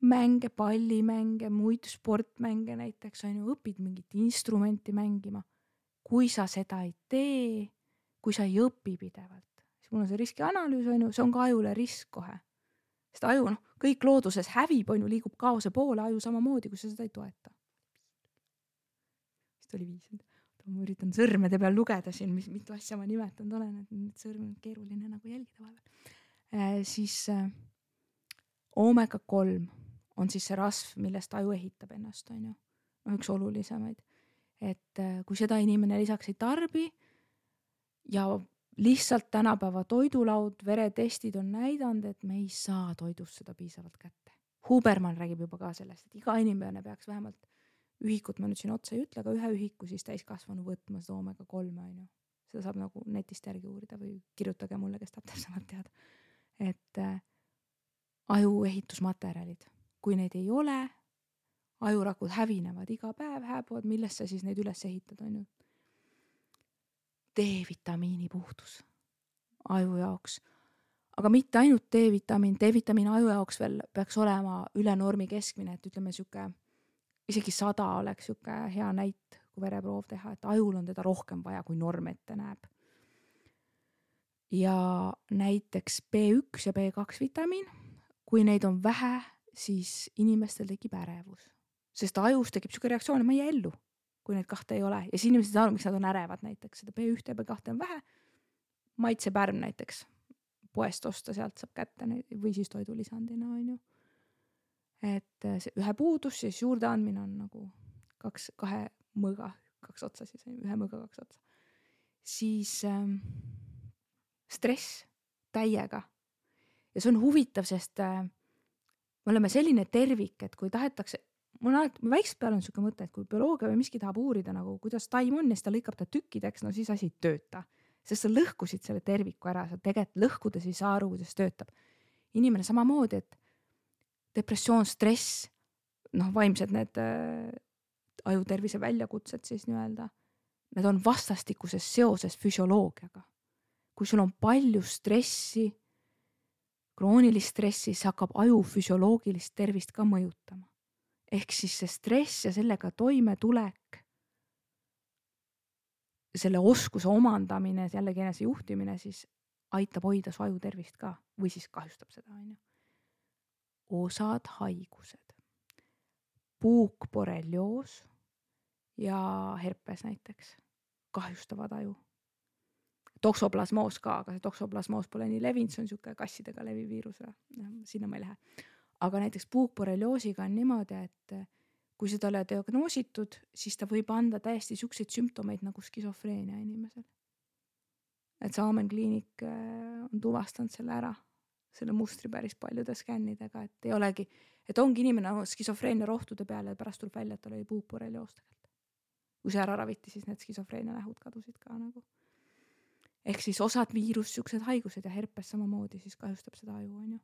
mänge, pallimänge, muid sportmänge näiteks, on ju, õpid mingit instrumenti mängima. Kui sa seda ei tee, kui sa ei õpi pidevalt, siis mul on see riskianalüüs, on ju, see on ka ajule risk kohe. Sest aju, noh, kõik looduses hävib, on ju, liigub kaose poole, aju samamoodi, kui sa seda ei toeta. Vist oli viis. Ma üritan sõrmede peal lugeda siin, mis mitu asja ma nimetanud olen, et nüüd sõrm on keeruline nagu jälgida vahepeal. Äh, siis äh, oomega kolm on siis see rasv, millest aju ehitab ennast, on ju. No, üks olulisemaid. Et äh, kui seda inimene lisaks ei tarbi ja lihtsalt tänapäeva toidulaud, veretestid on näidanud, et me ei saa toidust seda piisavalt kätte. Huberman räägib juba ka sellest, et iga inimene peaks vähemalt ühikut, ma nüüd siin otsa ei ütle, aga ühe ühiku siis täiskasvanu võtma seda oomega kolme, on ju. Seda saab nagu netist järgi uurida või kirjutage mulle, kes tahab täpsemalt teada. Et äh, aju ehitusmaterjalid, kui neid ei ole, ajurakud hävinevad iga päev, hääbuvad, millest sa siis neid üles ehitad, on ju. D-vitamiini puhtus aju jaoks. Aga mitte ainult D-vitamiin, D-vitamiin aju jaoks veel peaks olema üle normi keskmine, et ütleme siuke isegi sada oleks siuke hea näit, kui vereproov teha, et ajul on teda rohkem vaja, kui norm ette näeb. Ja näiteks B üks ja B kaks vitamiin, kui neid on vähe, siis inimestel tekib ärevus. Sest ajus tekib siuke reaktsioon, et ma ei ellu, kui neid kahte ei ole. Ja siis inimesed saavad, miks nad on ärevad näiteks. Seda B üks ja B kaks on vähe. Maitsepärm näiteks poest osta, sealt saab kätte või siis toidulisandina, on ju. Et see ühe puudus, siis juurde andmine on nagu kaks, kahe mõõga kaks otsa siis, ühe mõõga kaks otsa. Siis ähm, stress täiega. Ja see on huvitav, sest äh, me oleme selline tervik, et kui tahetakse, mul on alati, väikselt peal on siuke mõte, et kui bioloogia või miski tahab uurida nagu, kuidas taim on ja siis ta lõikab ta tükkideks, no siis asi ei tööta. Sest sa lõhkusid selle terviku ära, sa tegelikult lõhkudes ei saa aru, kuidas töötab. Inimene samamoodi, et depressioon, stress, noh, vaimsed need äh, ajutervise väljakutsed siis nii-öelda, need on vastastikuses seoses füsioloogiaga. Kui sul on palju stressi, kroonilist stressi, see hakkab aju füsioloogilist tervist ka mõjutama. Ehk siis see stress ja sellega toime tulek, selle oskuse omandamine, jällegi enese juhtimine, siis aitab hoida su aju tervist ka või siis kahjustab seda. On ju. Osad haigused, puukborrelioos ja herpes näiteks kahjustavad aju. Toksoplasmoos ka, aga see toksoplasmoos pole nii levinud, see on siuke kassidega levi viirus, sinna ma ei lähe. Aga näiteks puukborrelioosiga on niimoodi, et kui seda ole diagnoositud, siis ta võib anda täiesti siukseid sümptomeid nagu skisofreenia inimesel. Et Saamen kliinik on tuvastanud selle ära, selle mustri päris paljude skännidega, et ei olegi, et ongi inimene skisofreenia rohtude peale ja pärast tuleb välja, et tal oli puukborrelioos tegelikult. Kui see ära raviti, siis need skisofreenia nähud kadusid ka nagu. Ehk siis osad viirus, siuksed haigused ja herpes samamoodi siis kahjustab seda aju, on ju.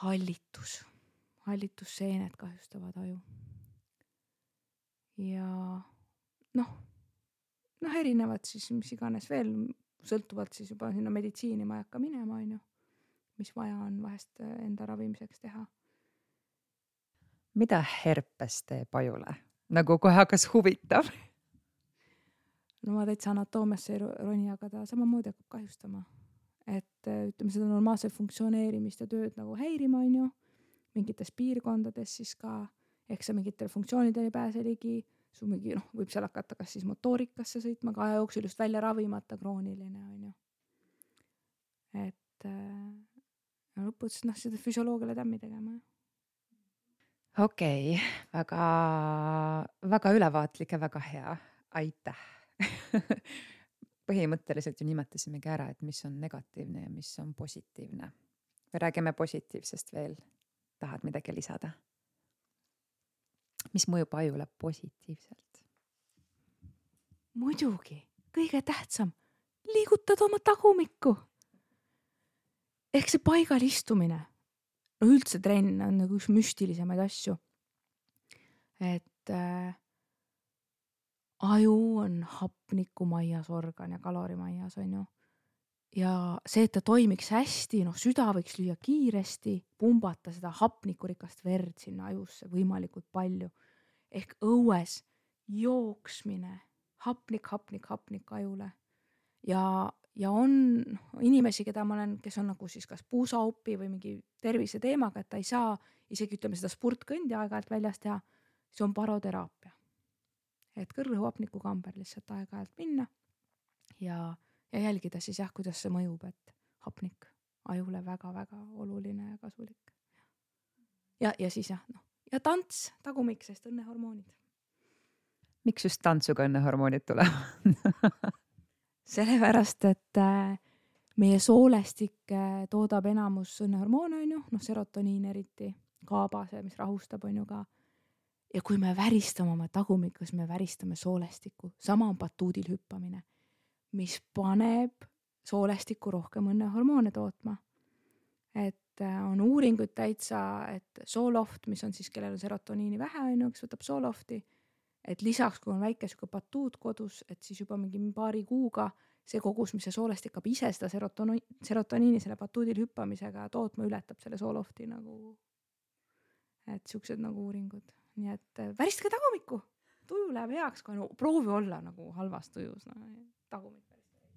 Hallitus, hallitusseened kahjustavad aju. Ja noh, noh erinevad siis, mis iganes veel, sõltuvalt siis juba sinna meditsiini ma ei hakka minema, on ju, mis vaja on vahest enda ravimiseks teha. Mida herpes teeb ajule? Nagu kohe hakkas huvitav. No ma täitsa anatoomiasse ei roni, aga ta samamoodi hakkab kahjustama. Et ütleme seda normaalse funktsioneerimist ja tööd nagu häirima, on ju, mingites piirkondades siis ka, ehk sa mingitele funktsioonidele ei pääse ligi, su mingi, noh, võib seal hakata kas siis motoorikasse sõitma, ka aja jooksul just välja ravimata krooniline, on ju. Et ja lõpuks, noh, seda füsioloogiale tämmi tegema. Okei, okay. väga, väga ülevaatlik ja väga hea. Aitäh. Põhimõtteliselt ju nimetasimegi ära, et mis on negatiivne ja mis on positiivne. Või räägime positiivsest veel. Tahad midagi lisada? Mis mõjub ajule positiivselt? Muidugi, kõige tähtsam, liigutad oma tagumikku. Ehk see paigal istumine. No üldse trenn on nagu üks müstilisemaid asju. Et äh, aju on hapnikumajas organ ja kalorimajas, on ju. Ja see, et ta toimiks hästi, noh süda võiks lüüa kiiresti, pumbata seda hapnikurikast verd sinna ajusse võimalikult palju. Ehk õues jooksmine, hapnik, hapnik, hapnik ajule. Ja, ja on inimesi, keda ma olen, kes on nagu siis kas puusaupi või mingi tervise teemaga, et ta ei saa isegi ütleme seda spurtkõndi aeg-ajalt väljas teha, see on baroteraapia. Et kõrrõhuhapniku kamber lihtsalt aeg-ajalt minna ja, ja jälgida siis jah, kuidas see mõjub, et hapnik ajule väga-väga oluline ja kasulik. Ja, ja siis jah, noh, ja tants, tagumik, sest õnnehormoonid. Miks just tantsuga õnnehormoonid tulevad? Sellepärast, et meie soolestik toodab enamus õnnehormoone, on ju, noh, serotoniin eriti, kaabase, mis rahustab, on ju ka. Ja kui me väristame oma tagumikus, me väristame soolestiku. Sama on batuudil hüppamine, mis paneb soolestiku rohkem õnnehormoone tootma. Et on uuringuid täitsa, et sooloft, mis on siis, kellel on serotoniini vähe, on ju, kes võtab soolofti, et lisaks, kui on väike suke batuud kodus, et siis juba mingi paari kuuga see kogus, mis see soolestik hakkab ise seda serotoni, serotoniini selle batuudil hüppamisega tootma, ületab selle soolofti nagu, et siuksed nagu uuringud. Nii et väristke tagumikku, tuju läheb heaks, kui no, proovi olla nagu halvas tujus, no, tagumik väristke.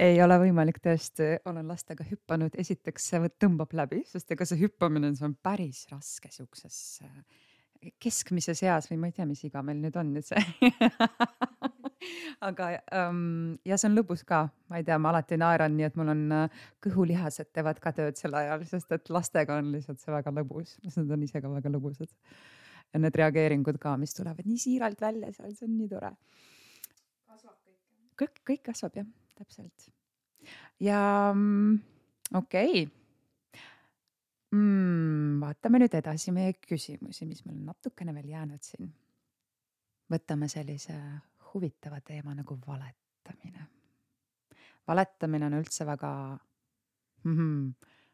Ei ole võimalik tõesti, olen lastega hüppanud, esiteks see tõmbab läbi, sest ega see hüppamine see on päris raske siukses keskmises eas või ma ei tea, mis iga meil nüüd on nüüd see. Aga um, ja see on lõbus ka, ma ei tea, ma alati naeran nii, et mul on kõhulihased teevad ka tööd sel ajal, sest et lastega on lihtsalt see väga lõbus, sest nad on ise ka väga lõbusad. ja need reageeringud ka, mis tulevad nii siiralt välja seal, see on nii tore. kõik, kõik kasvab jah, täpselt. Ja mm, okei okay. mm, vaatame nüüd edasi meie küsimusi, mis meil on natukene veel jäänud siin. Võtame sellise huvitava teema nagu valetamine. Valetamine on üldse väga mm-hmm.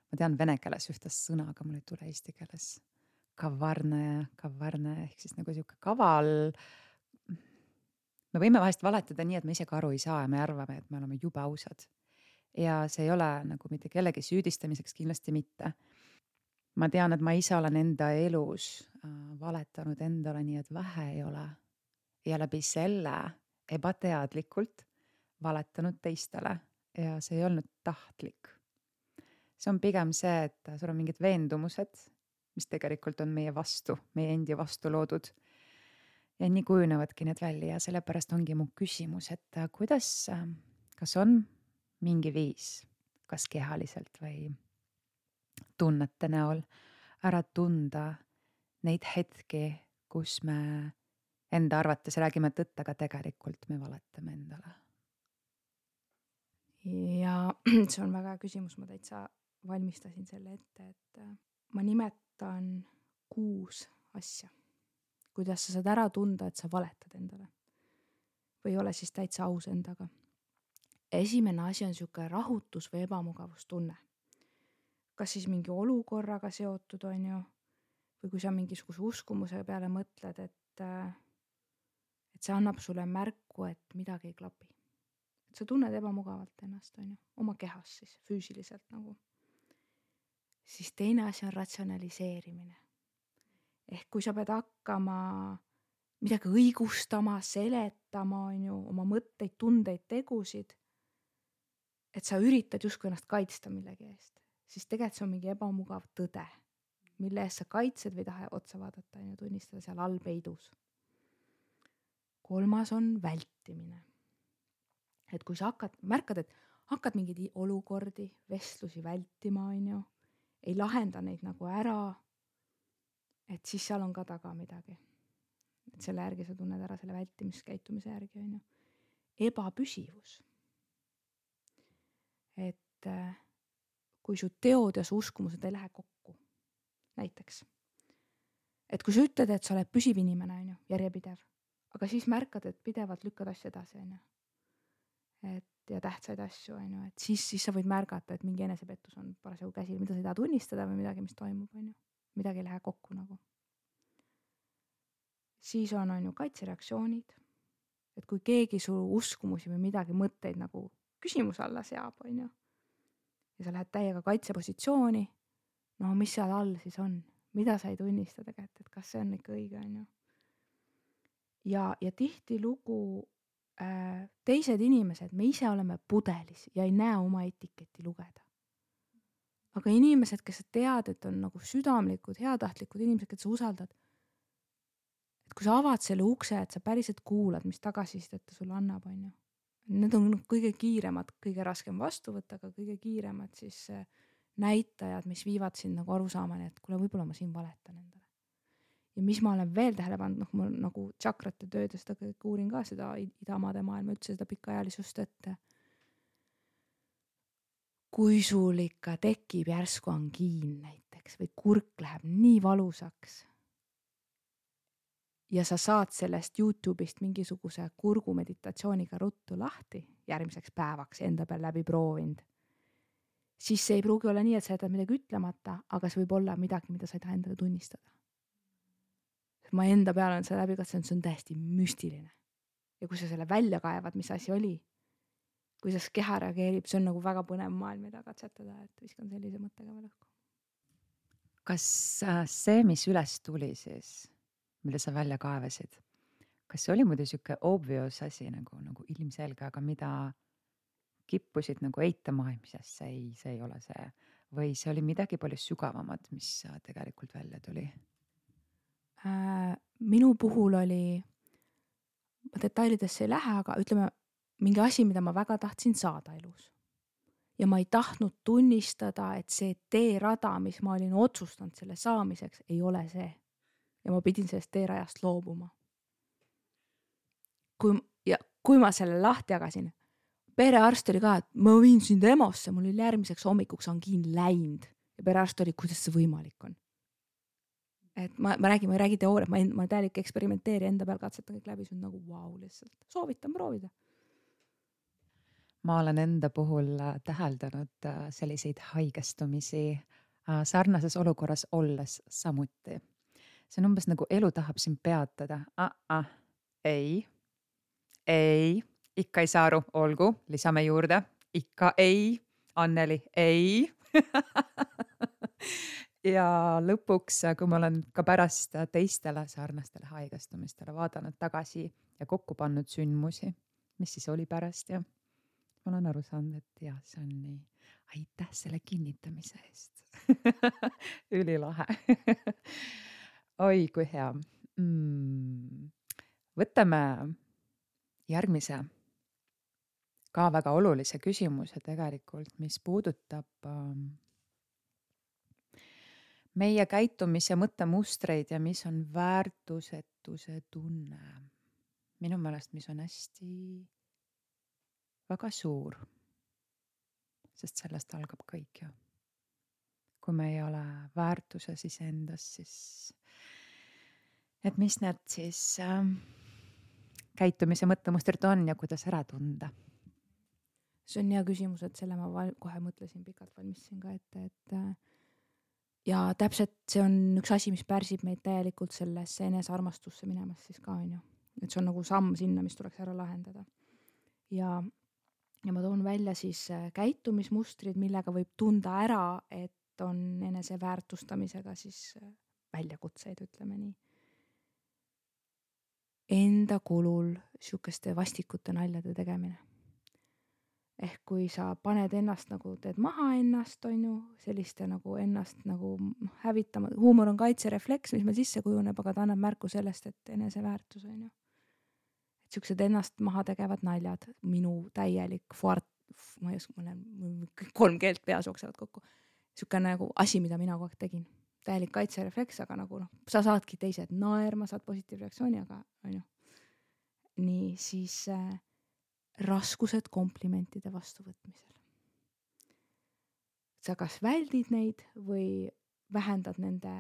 ma tean vene keeles ühte sõna, aga mul ei tule eesti keeles. Kavarne, kavarne ehk siis nagu siuke kaval. Me võime vahest valetada nii, et me ise ka aru ei saa ja me arvame, et me oleme jube ausad. Ja see ei ole nagu mitte kellegi süüdistamiseks kindlasti mitte. Ma tean, et ma ise olen enda elus äh, valetanud endale nii, et vähe ei ole. Ja läbi selle ebateadlikult valetanud teistele ja see ei olnud tahtlik. See on pigem see, et sul on mingid veendumused, mis tegelikult on meie vastu, meie endi vastu loodud. Ja nii kujunevadki need välja ja sellepärast ongi mu küsimus, et kuidas, kas on mingi viis, kas kehaliselt või tunnete näol ära tunda neid hetki, kus me enda arvates räägime tõtt, aga tegelikult me valetame endale. Ja see on väga hea küsimus, ma täitsa valmistasin selle ette, et ma nimetan kuus asja, kuidas sa saad ära tunda, et sa valetad endale või ole siis täitsa aus endaga. Esimene asi on siuke rahutus või ebamugavustunne. Kas siis mingi olukorraga seotud on ju, või kui sa mingisuguse uskumuse peale mõtled, et, et see annab sulle märku, et midagi ei klapi. Et sa tunned ebamugavalt ennast on ju, oma kehas siis füüsiliselt nagu. Siis teine asi on ratsionaliseerimine. Ehk kui sa pead hakkama midagi õigustama, seletama on ju, oma mõtteid, tundeid, tegusid, et sa üritad justkui ennast kaitsta millegi eest, siis tegelikult see on mingi ebamugav tõde, mille eest sa kaitsed või tahe otsa vaadata ja tunnistada seal all peidus. Kolmas on vältimine. Et kui sa hakkad, märkad, et hakkad mingeid olukordi, vestlusi vältima, on ju, ei lahenda neid nagu ära, et siis seal on ka taga midagi. Et selle järgi sa tunned ära selle vältimiskäitumise järgi, on ju. Ebapüsivus. Et kui su teod ja su uskumused ei lähe kokku, näiteks. Et kui sa ütled, et sa oled püsiv inimene, on ju, järjepidev, aga siis märkad, et pidevalt lükkad asju edasi, on ju. Et ja tähtsaid asju, on ju, et siis, siis sa võid märgata, et mingi enesepettus on parasjagu käsil, mida sa ei taha tunnistada või midagi, mis toimub, on ju. Midagi ei lähe kokku nagu. Siis on, on ju kaitsereaktsioonid, et kui keegi su uskumusi või midagi mõtteid nagu küsimus alla seab, on ju, ja sa lähed täiega kaitsepositsiooni, no mis seal all siis on, mida sa ei tunnista tegelikult, et kas see on ikka õige, on ju. Ja, ja tihti lugu äh, teised inimesed, me ise oleme pudelis ja ei näe oma etiketti lugeda. Aga inimesed, kes sa tead, et on nagu südamlikud, heatahtlikud inimesed, kes sa usaldad, et kui sa avad selle ukse, et sa päriselt kuulad, mis tagasisidet ta sulle annab, on ju. Need on kõige kiiremad, kõige raskem vastu võtta, aga kõige kiiremad siis näitajad, mis viivad sind nagu aru saamani, et kuule, võib-olla ma siin valetan endale. Ja mis ma olen veel tähele pannud, noh, ma nagu tšakrate tööd ja seda kõik uurin ka seda idamaade maailma, üldse seda pikaajalisust, et kui sul ikka tekib järsku angiin näiteks või kurk läheb nii valusaks, ja sa saad sellest YouTube'ist mingisuguse kurgu meditatsiooniga ruttu lahti järgmiseks päevaks enda peal läbi proovinud, siis see ei pruugi olla nii, et sa jätad midagi ütlemata, aga see võib olla midagi, mida sa ei taha endale tunnistada. Ma enda peal on see läbi katsunud, see on täiesti müstiline. Ja kui sa selle välja kaevad, mis asi oli, kuidas keha reageerib, see on nagu väga põnev maailm, mida katsetada, et viskan sellise mõttega veel õhku. Kas see, mis üles tuli siis, mida sa välja kaevasid, kas see oli muidu siuke obvious asi nagu, nagu ilmselge, aga mida kippusid nagu eitama, mis see ei, see ei ole see, või see oli midagi palju sügavamat, mis tegelikult välja tuli? Äh, minu puhul oli, ma detailidesse ei lähe, aga ütleme mingi asi, mida ma väga tahtsin saada elus. Ja ma ei tahtnud tunnistada, et see teerada, mis ma olin otsustanud selle saamiseks, ei ole see. ja ma pidin sellest teerajast loobuma. Kui, ja kui ma selle lahti jagasin, perearst oli ka, et ma viin sind EMO-sse, mul oli järgmiseks hommikuks angiin läinud ja perearst oli, kuidas see võimalik on. Et ma, ma räägin, ma ei räägi teooriat, ma, ma täielik eksperimenteeri enda peal katsetan kõik läbi, see on nagu vau wow, lihtsalt. Soovitan proovida. Ma olen enda puhul täheldanud selliseid haigestumisi sarnases olukorras olles samuti. See on umbes nagu elu tahab sind peatada. Ah, ah, ei, ei, ikka ei saa aru, olgu, lisame juurde, ikka ei, Anneli, ei. Ja lõpuks, kui ma olen ka pärast teistele sarnastele haigestumistele vaadanud tagasi ja kokku pannud sündmusi, mis siis oli pärast ja ma olen aru saanud, et jah, see on nii. Aitäh selle kinnitamise eest. Ülilahe. Oi, kui hea. Mm. Võtame järgmise ka väga olulise küsimuse tegelikult, mis puudutab meie käitumise mõttemustreid ja mis on väärtusetuse tunne. Minu meelest, mis on hästi väga suur, sest sellest algab kõik ju. Kui me ei ole väärtuses iseendas, siis et mis need siis äh, käitumise mõttemustrid on ja kuidas ära tunda? See on hea küsimus, et selle ma val- kohe mõtlesin, pikalt valmistasin ka ette, et äh, ja täpselt see on üks asi, mis pärsib meid täielikult sellesse enesearmastusse minemast siis ka on ju. Et see on nagu samm sinna, mis tuleks ära lahendada. Ja, ja ma toon välja siis käitumismustrid, millega võib tunda ära, et on enese väärtustamisega siis väljakutseid, ütleme nii. Enda kulul sihukeste vastikute naljade tegemine. Ehk kui sa paned ennast nagu, teed maha ennast, on ju, selliste nagu ennast nagu hävitama. Huumor on kaitserefleks, mis meil sisse kujuneb, aga ta annab märku sellest, et eneseväärtus on ju. Et sihukesed ennast maha tegevad naljad, minu täielik fuart, ma ei oska, ma olen kolm keelt peas jooksevad kokku. Sihuke nagu asi, mida mina kogu aeg tegin. Täielik kaitserefleks, aga nagu noh, sa saadki teised naerma, saad positiivreaktsiooni, aga on ju. Nii siis äh, raskused komplimentide vastuvõtmisel. Sa kas väldid neid või vähendad nende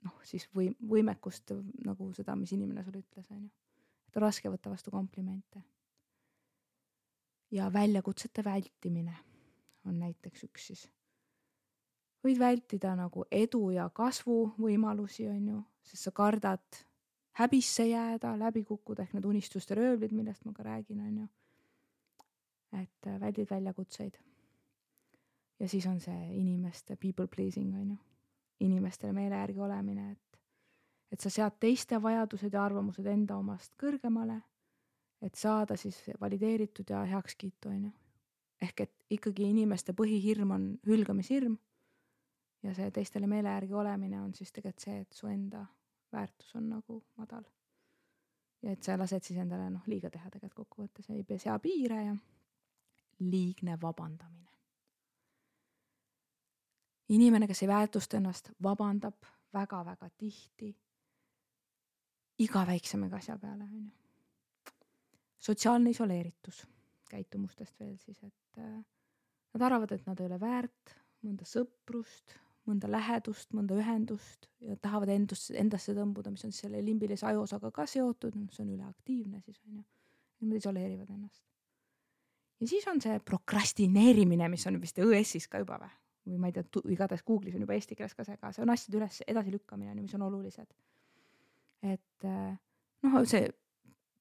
noh, siis või, võimekust nagu seda, mis inimene sulle ütles, on ju. Et on raske võtta vastu komplimente. Ja väljakutsete vältimine on näiteks üks siis. Võid vältida nagu edu ja kasvu võimalusi, on ju, sest sa kardad häbisse jääda, läbi kukkuda ehk need unistuste röövlid, millest ma ka räägin, on ju. Et väldid väljakutseid. Ja siis on see inimeste people pleasing, on ju. Inimestele meele järgi olemine, et, et sa sead teiste vajadused ja arvamused enda omast kõrgemale, et saada siis valideeritud ja heakskiitu, on ju. Ehk et ikkagi inimeste põhihirm on hülgamishirm ja see teistele meele järgi olemine on siis tegelikult see, et su enda väärtus on nagu madal. Ja et sa lased siis endale noh, liiga teha tegelikult kokkuvõttes, ei sea piire ja liigne vabandamine. Inimene, kes ei väärtusta ennast, vabandab väga-väga tihti iga väiksemega asja peale. On ju. Sotsiaalne isoleeritus käitumustest veel siis, et äh, nad arvavad, et nad ei ole väärt mõnda sõprust, mõnda lähedust, mõnda ühendust ja tahavad endust, endasse tõmbuda, mis on selle limbilise ajuosaga ka seotud, mis on üleaktiivne siis on ju. Nad isoleerivad ennast. Ja siis on see prokrastineerimine, mis on vist õ-essis ka juba või, või ma ei tea, igatahes Google'is on juba eesti keeles ka see ka, see on asjade üles edasi lükkamine, mis on olulised. Et noh, see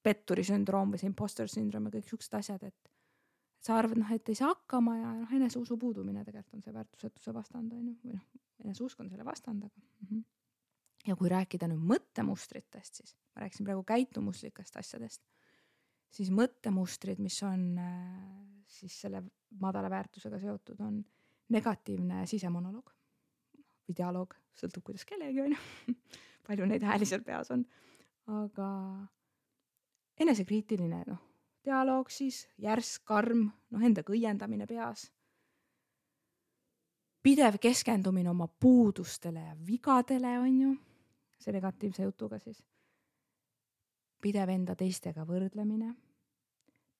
petturi sündroom või see imposter syndroom ja kõik siuksed asjad, et sa arvad, noh, et ei saa hakkama ja noh, eneseusu puudumine tegelikult on see väärtusetuse vastand, on ju, või noh, eneseusk on selle vastand, aga mm-hmm. Ja kui rääkida nüüd mõttemustritest, siis ma rääkisin praegu käitumuslikest asjadest, siis mõttemustrid, mis on siis selle madala väärtusega seotud, on negatiivne sisemonoloog või dialoog, sõltub kuidas kellegi on ju, palju neid hääli seal peas on, aga enesekriitiline, noh, dialoog siis, järsk, karm, noh, enda õiendamine peas. Pidev keskendumine oma puudustele ja vigadele on ju. see negatiivse jutuga siis. Pidev enda teistega võrdlemine,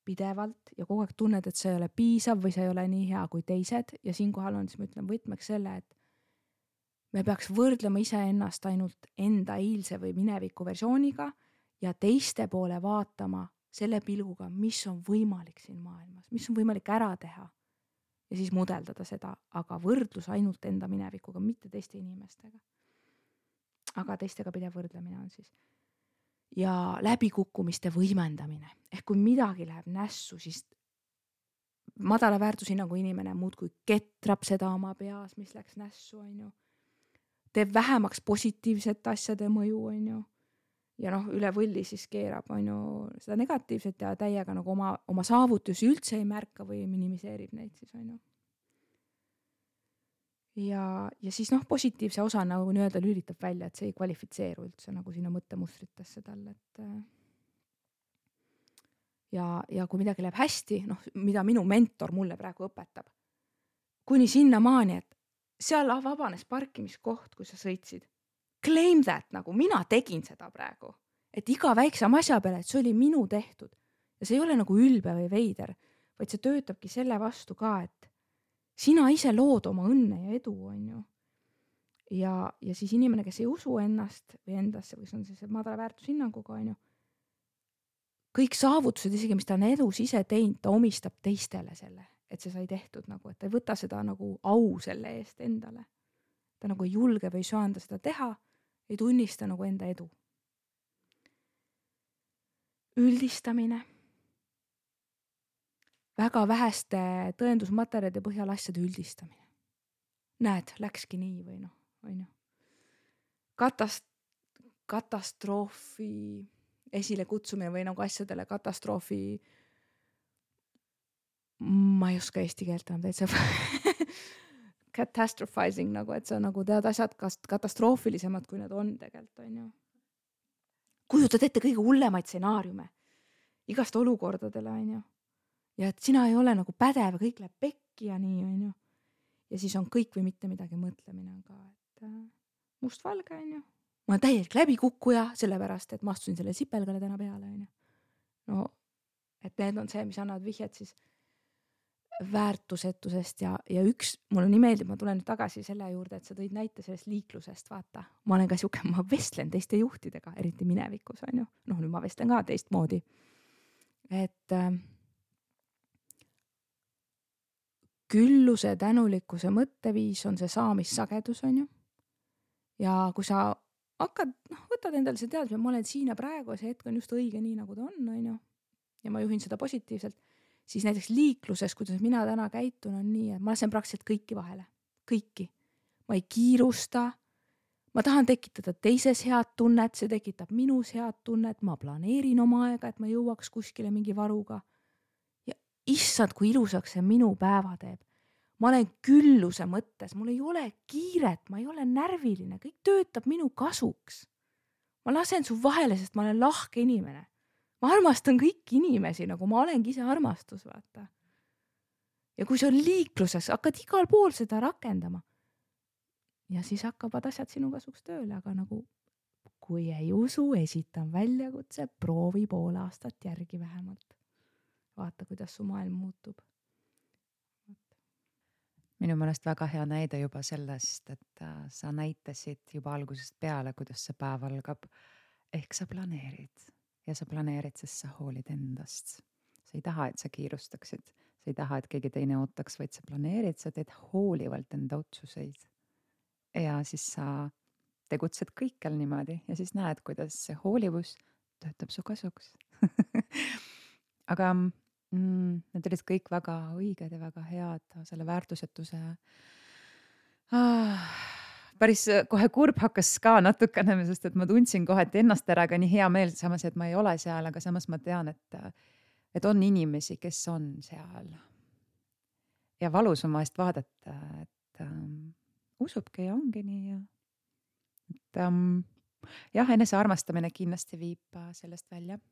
pidevalt ja kogu aeg tunned, et see ei ole piisav või see ei ole nii hea kui teised ja siinkohal on, siis ma ütlen võtmeks selle, et me peaks võrdlema iseennast ainult enda eilse või mineviku versiooniga ja teiste poole vaatama selle pilguga, mis on võimalik siin maailmas, mis on võimalik ära teha ja siis mudeldada seda, aga võrdlus ainult enda minevikuga, mitte teiste inimestega. Aga teistega pidev võrdlemine on siis. Ja läbikukkumiste võimendamine. Ehk kui midagi läheb nässu, siis madala väärtushinnangu inimene muudkui ketrab seda oma peas, mis läks nässu, on ju. Teeb vähemaks positiivset asjade mõju, on ju. Ja noh, üle võlli siis keerab, on ju, seda negatiivset ja täiega nagu oma, oma saavutusi üldse ei märka või minimiseerib neid siis, on ju. Ja, ja siis noh, positiivse osa nagu nii-öelda lülitab välja, et see ei kvalifitseeru üldse nagu sinna mõttemustritesse tal, et ja, ja kui midagi läheb hästi, noh, mida minu mentor mulle praegu õpetab, kuni sinna maani, et seal vabanes parkimiskoht, kui sa sõitsid. Claim that, nagu mina tegin seda praegu, et iga väiksem asja peale, et see oli minu tehtud ja see ei ole nagu ülbe või veider, vaid see töötabki selle vastu ka, et sina ise lood oma õnne ja edu, on ju. Ja, ja siis inimene, kes ei usu ennast või endasse, või see on see madala väärtushinnanguga, on ju, kõik saavutused, isegi mis ta on edus ise teinud, ta omistab teistele selle, et see sai tehtud nagu, et ta ei võta seda nagu au selle eest endale. Ta nagu ei julge või ei saanda seda teha, ei tunnista nagu enda edu. Üldistamine. Väga väheste tõendusmaterjalide põhjal asjade üldistamine. Näed, läkski nii või noh, on ju. Katast, katastroofi esile kutsumine või nagu asjadele katastroofi, ma ei oska eesti keelt enam täitsa catastrophizing nagu, et see on nagu tead asjad katastroofilisemad, kui need on tegelikult, on ju. Kujutad ette kõige hullemaid stsenaariume igast olukordadele, on ju. Ja et sina ei ole nagu pädev, kõik läheb pekki ja nii, on ju. Ja siis on kõik või mitte midagi mõtlemine ka, et must valge, on ju. Ma olen täielik läbikukkuja, sellepärast, et ma astusin selle sipelgale täna peale, on ju. No, et need on see, mis annavad vihjed siis väärtusetusest ja, ja üks, mulle nii meeldib, ma tulen nüüd tagasi selle juurde, et sa tõid näite sellest liiklusest, vaata. Ma olen ka siuke, ma vestlen teiste juhtidega, eriti minevikus, on ju. Noh, nüüd ma vestlen ka teist moodi. Et äh, külluse tänulikkuse mõtteviis on see saamissagedus, on ju. Ja kui sa hakkad, noh, võtad endale see teadmise, ma olen siin ja praegu, see hetk on just õige nii, nagu ta on, on ju. Ja ma juhin seda positiivselt. Siis näiteks liikluses, kuidas mina täna käitun, on nii, et ma lasen praktiliselt kõiki vahele. Kõiki. Ma ei kiirusta. Ma tahan tekitada teises head tunnet, see tekitab minus head tunnet, ma planeerin oma aega, et ma jõuaks kuskile mingi varuga. Ja issand, kui ilusaks see minu päeva teeb. Ma olen külluse mõttes, mul ei ole kiiret, ma ei ole närviline, kõik töötab minu kasuks. Ma lasen su vahele, sest ma olen lahke inimene. Ma armastan kõiki inimesi, nagu ma olengi ise armastus, vaata. Ja kui see on liikluses, hakkad igal pool seda rakendama. Ja siis hakkavad asjad sinu kasuks tööle, aga nagu kui ei usu, esitan väljakutse, proovi pool aastat järgi vähemalt. Vaata, kuidas su maailm muutub. Minu meelest väga hea näide juba sellest, et sa näitasid juba algusest peale, kuidas see päev algab. Ehk sa planeerid. Ja sa planeerid, sest sa hoolid endast. Sa ei taha, et sa kiirustaksid. Sa ei taha, et keegi teine ootaks, vaid sa planeerid, sa teed hoolivalt enda otsuseid. Ja siis sa tegutsed kõikjal niimoodi ja siis näed, kuidas see hoolivus töötab su kasuks. Aga mm, need olid kõik väga õiged ja väga head selle väärtusetuse. Ah. Päris kohe kurb hakkas ka natukene, sest et ma tundsin kohe, et ennast äraga nii hea meel, samas, et ma ei ole seal, aga samas ma tean, et, et on inimesi, kes on seal. Ja valus on vahest vaadata, et um, usubki ja ongi nii. Ja, et, um, jah, enese armastamine kindlasti viib sellest välja.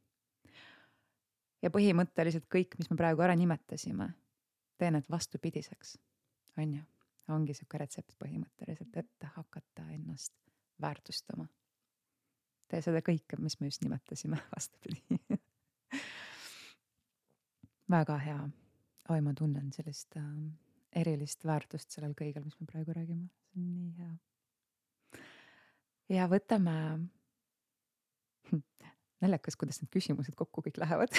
Ja põhimõtteliselt kõik, mis me praegu ära nimetasime, teen need vastupidiseks, on ju. Ongi siuke retsept põhimõtteliselt, et hakata ennast väärtustama. tee seda kõike, mis me just nimetasime vastupidi. Väga hea. Oi, ma tunnen sellist äh, erilist väärtust sellel kõigel, mis me praegu räägime. See on nii hea. Ja võtame naljakas, kuidas need küsimused kokku kõik lähevad.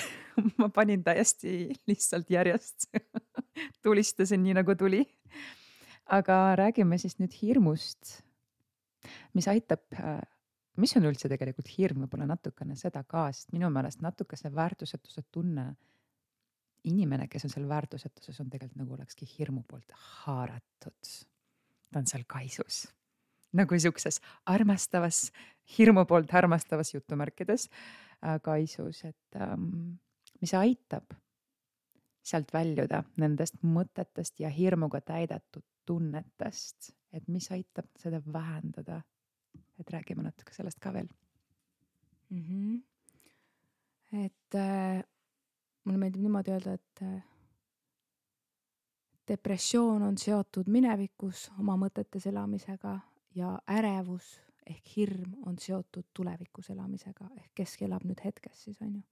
Ma panin täiesti lihtsalt järjest. Tulistasin nii nagu tuli. Aga räägime siis nüüd hirmust, mis aitab, mis on üldse tegelikult hirm, võib-olla natukene seda ka, sest minu meelest natuke see väärtusetuse tunne, inimene, kes on seal väärtusetuses, on tegelikult nagu olekski hirmu poolt haaratud. Ta on seal kaisus. Nagu siukses armastavas, hirmu poolt armastavas jutumärkides äh, kaisus, et ähm, mis aitab sealt väljuda nendest mõtetest ja hirmuga täidetud tunnetest, et mis aitab seda vähendada. Et räägime natuke sellest ka veel. Mm-hmm. Et äh, mulle meeldib niimoodi öelda, et äh, depressioon on seotud minevikus oma mõtetes elamisega ja ärevus ehk hirm on seotud tulevikus elamisega ehk keski elab nüüd hetkes siis on ju.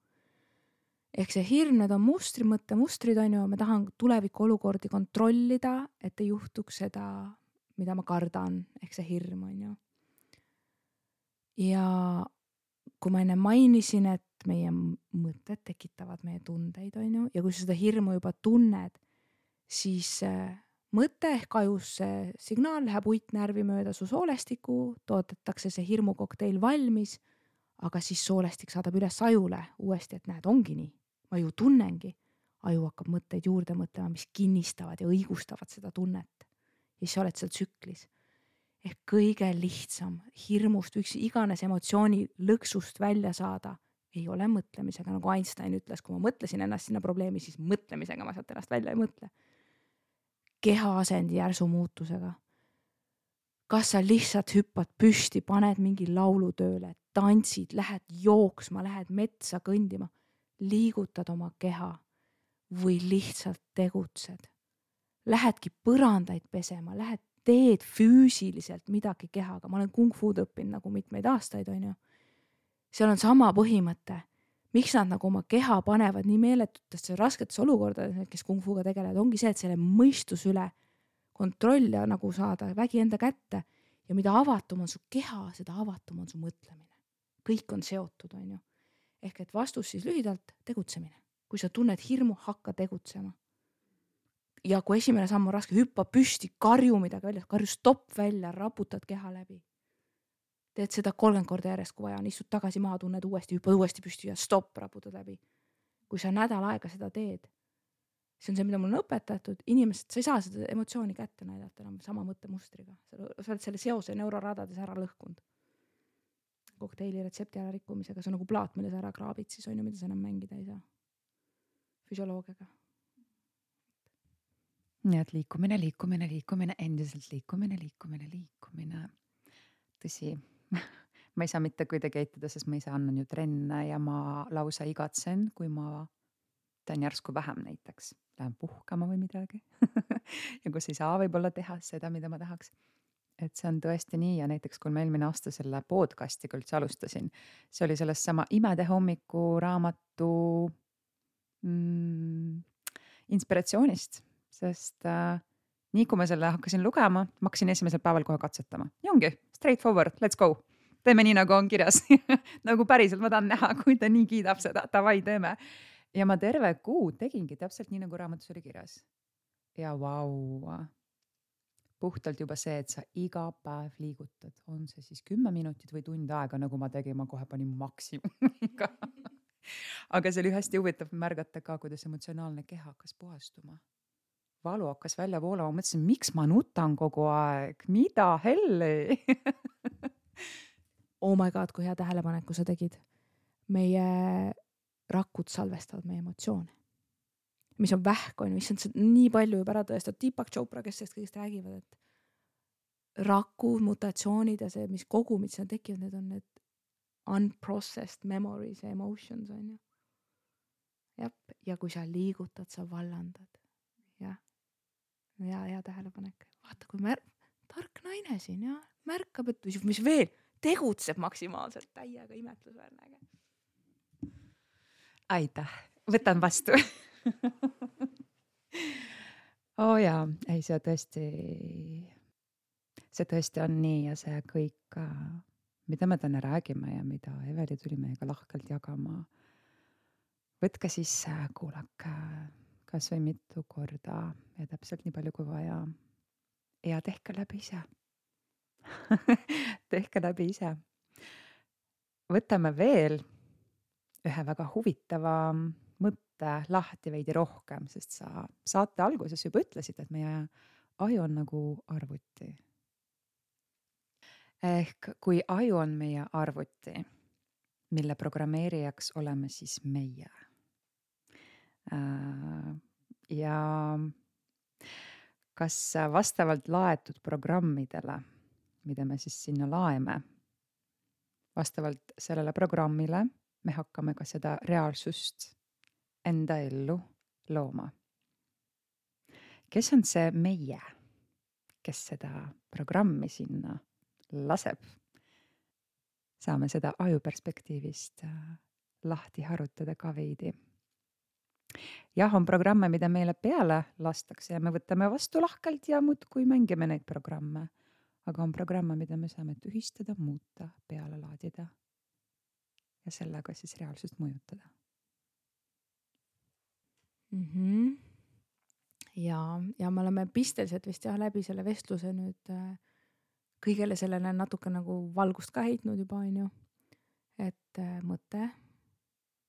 Ehk see hirm, need on mustri, mõtte mustrid on ju, ma tahan tuleviku olukordi kontrollida, et ei juhtuks seda, mida ma kardan, ehk see hirm on ju. Ja kui ma enne mainisin, et meie mõtted tekitavad meie tundeid on ju, ja kui sa seda hirmu juba tunned, siis äh, mõte ehk ajus see signaal läheb uitnärvi mööda su soolestiku, toodetakse see hirmukokteil valmis, aga siis soolestik saadab üles ajule uuesti, et näed, ongi nii. Ma ju tunnengi. Aju hakkab mõtteid juurde mõtlema, mis kinnistavad ja õigustavad seda tunnet. Ja siis sa oled seal tsüklis. Ehk kõige lihtsam hirmust üks iganes emotsiooni lõksust välja saada ei ole mõtlemisega, nagu Einstein ütles, kui ma mõtlesin ennast sinna probleemi, siis mõtlemisega ma sealt ennast välja ei mõtle. Keha asendi järsu muutusega. Kas sa lihtsalt hüppad püsti, paned mingi laulu tööle, tantsid, lähed jooksma, lähed metsa kõndima, liigutad oma keha või lihtsalt tegutsed. Lähedki põrandaid pesema, lähed teed füüsiliselt midagi kehaga. Ma olen kung fu'd õppinud nagu mitmeid aastaid, on ju. Seal on sama põhimõte. Miks nad nagu oma keha panevad nii meeletutesse rasketes olukordades, kes kung fu'ga tegelevad, ongi see, et selle mõistus üle kontroll ja nagu saada vägi enda kätte. Ja mida avatum on su keha, seda avatum on su mõtlemine. Kõik on seotud, on ju. Ehk et vastus siis lühidalt tegutsemine. Kui sa tunned hirmu, hakka tegutsema. Ja kui esimene samm on raske, hüppa püsti, karju midagi välja, karju stopp välja, raputad keha läbi. Teed seda kolmkümmend korda järjest, kui vaja on, istud tagasi maha, tunned uuesti, hüppad uuesti püsti ja stopp, raputad läbi. Kui sa nädal aega seda teed, see on see, mida mul on õpetatud, inimesed, sa ei saa seda emotsiooni kätte näidata enam sama mõttemustriga. Sa oled selle seose neuroradades ära lõhkunud. Kokteili retsepti ära rikkumisega, see on nagu plaat, mille sa ära kraabid, siis on ju, mida sa enam mängida ei saa. Füsioloogiaga. Nii et liikumine, liikumine, liikumine, endiselt liikumine, liikumine, liikumine. Tõsi, ma ei saa mitte kuidagi eitada, sest ma ise annan ju trenne ja ma lausa igatsen, kui ma teen järsku vähem näiteks. Lähen puhkama või midagi. Ja kus ei saa võib-olla teha seda, mida ma tahaks. Et see on tõesti nii ja näiteks kui ma eelmine aasta selle podcastiga üldse alustasin, see oli sellest sama Imede hommiku raamatu mm, inspiratsioonist, sest äh, nii kui ma selle hakkasin lugema, ma hakkasin esimesel päeval kohe katsetama. Ja ongi, straight forward, let's go. Teeme nii, nagu on kirjas. Nagu päriselt ma tahan näha, kui ta nii kiidab seda, tavai teeme. Ja ma terve kuu tegingi täpselt nii, nagu raamatus oli kirjas. Ja vau, puhtalt juba see, et sa iga päev liigutad. On see siis kümme minutit või tund aega, nagu ma tegin, ma kohe panin maksimumiga. Aga see oli hästi huvitav märgata ka, kuidas emotsionaalne keha hakkas puhastuma. Valu hakkas välja voolama, mõtlesin, miks ma nutan kogu aeg? Mida helli? Oh my god, kui hea tähelepaneku sa tegid. Meie rakud salvestavad meie emotsioone. Mis on vähk, on, mis on nii palju juba ära tõestada. Deepak Chopra, kes sellest kõigest räägivad, et raku, mutatsioonid ja see, mis kogumid seal tekivad, need on need unprocessed memories ja emotions, on ju. Jep. Ja kui sa liigutad, sa vallandad. Ja, ja, ja tähelepanek. Vaata, kui mär... tark naine siin, ja märkab, et mis veel tegutseb maksimaalselt, täiega imetlusväärne äge. Aitäh, võtan vastu. Oo jaa, ei see tõesti, see tõesti on nii ja see kõik, mida me täna räägime ja mida Eveli tuli meiega lahkelt jagama. Võtke sisse, kuulake kas või mitu korda ja täpselt nii palju kui vaja. Ja tehke läbi ise. tehke läbi ise. Võtame veel ühe väga huvitava mõtte lahti veidi rohkem, sest sa saate alguses juba ütlesid, et meie aju on nagu arvuti. Ehk kui aju on meie arvuti, mille programmeerijaks oleme siis meie. Ja kas vastavalt laetud programmidele, mida me siis sinna laeme, vastavalt sellele programmile me hakkame ka seda reaalsust enda ellu looma. Kes on see meie, kes seda programmi sinna laseb? Saame seda aju perspektiivist lahti harutada ka veidi. Jah, on programme, mida meile peale lastakse ja me võtame vastu lahkelt ja muudkui mängime neid programme. Aga on programme, mida me saame tühistada, muuta, peale laadida ja sellega siis reaalsust mõjutada. Mm-hmm. Ja, ja me oleme pisteliselt vist jah läbi selle vestluse nüüd kõigele sellele natuke nagu valgust ka heitnud juba on ju. Et mõte,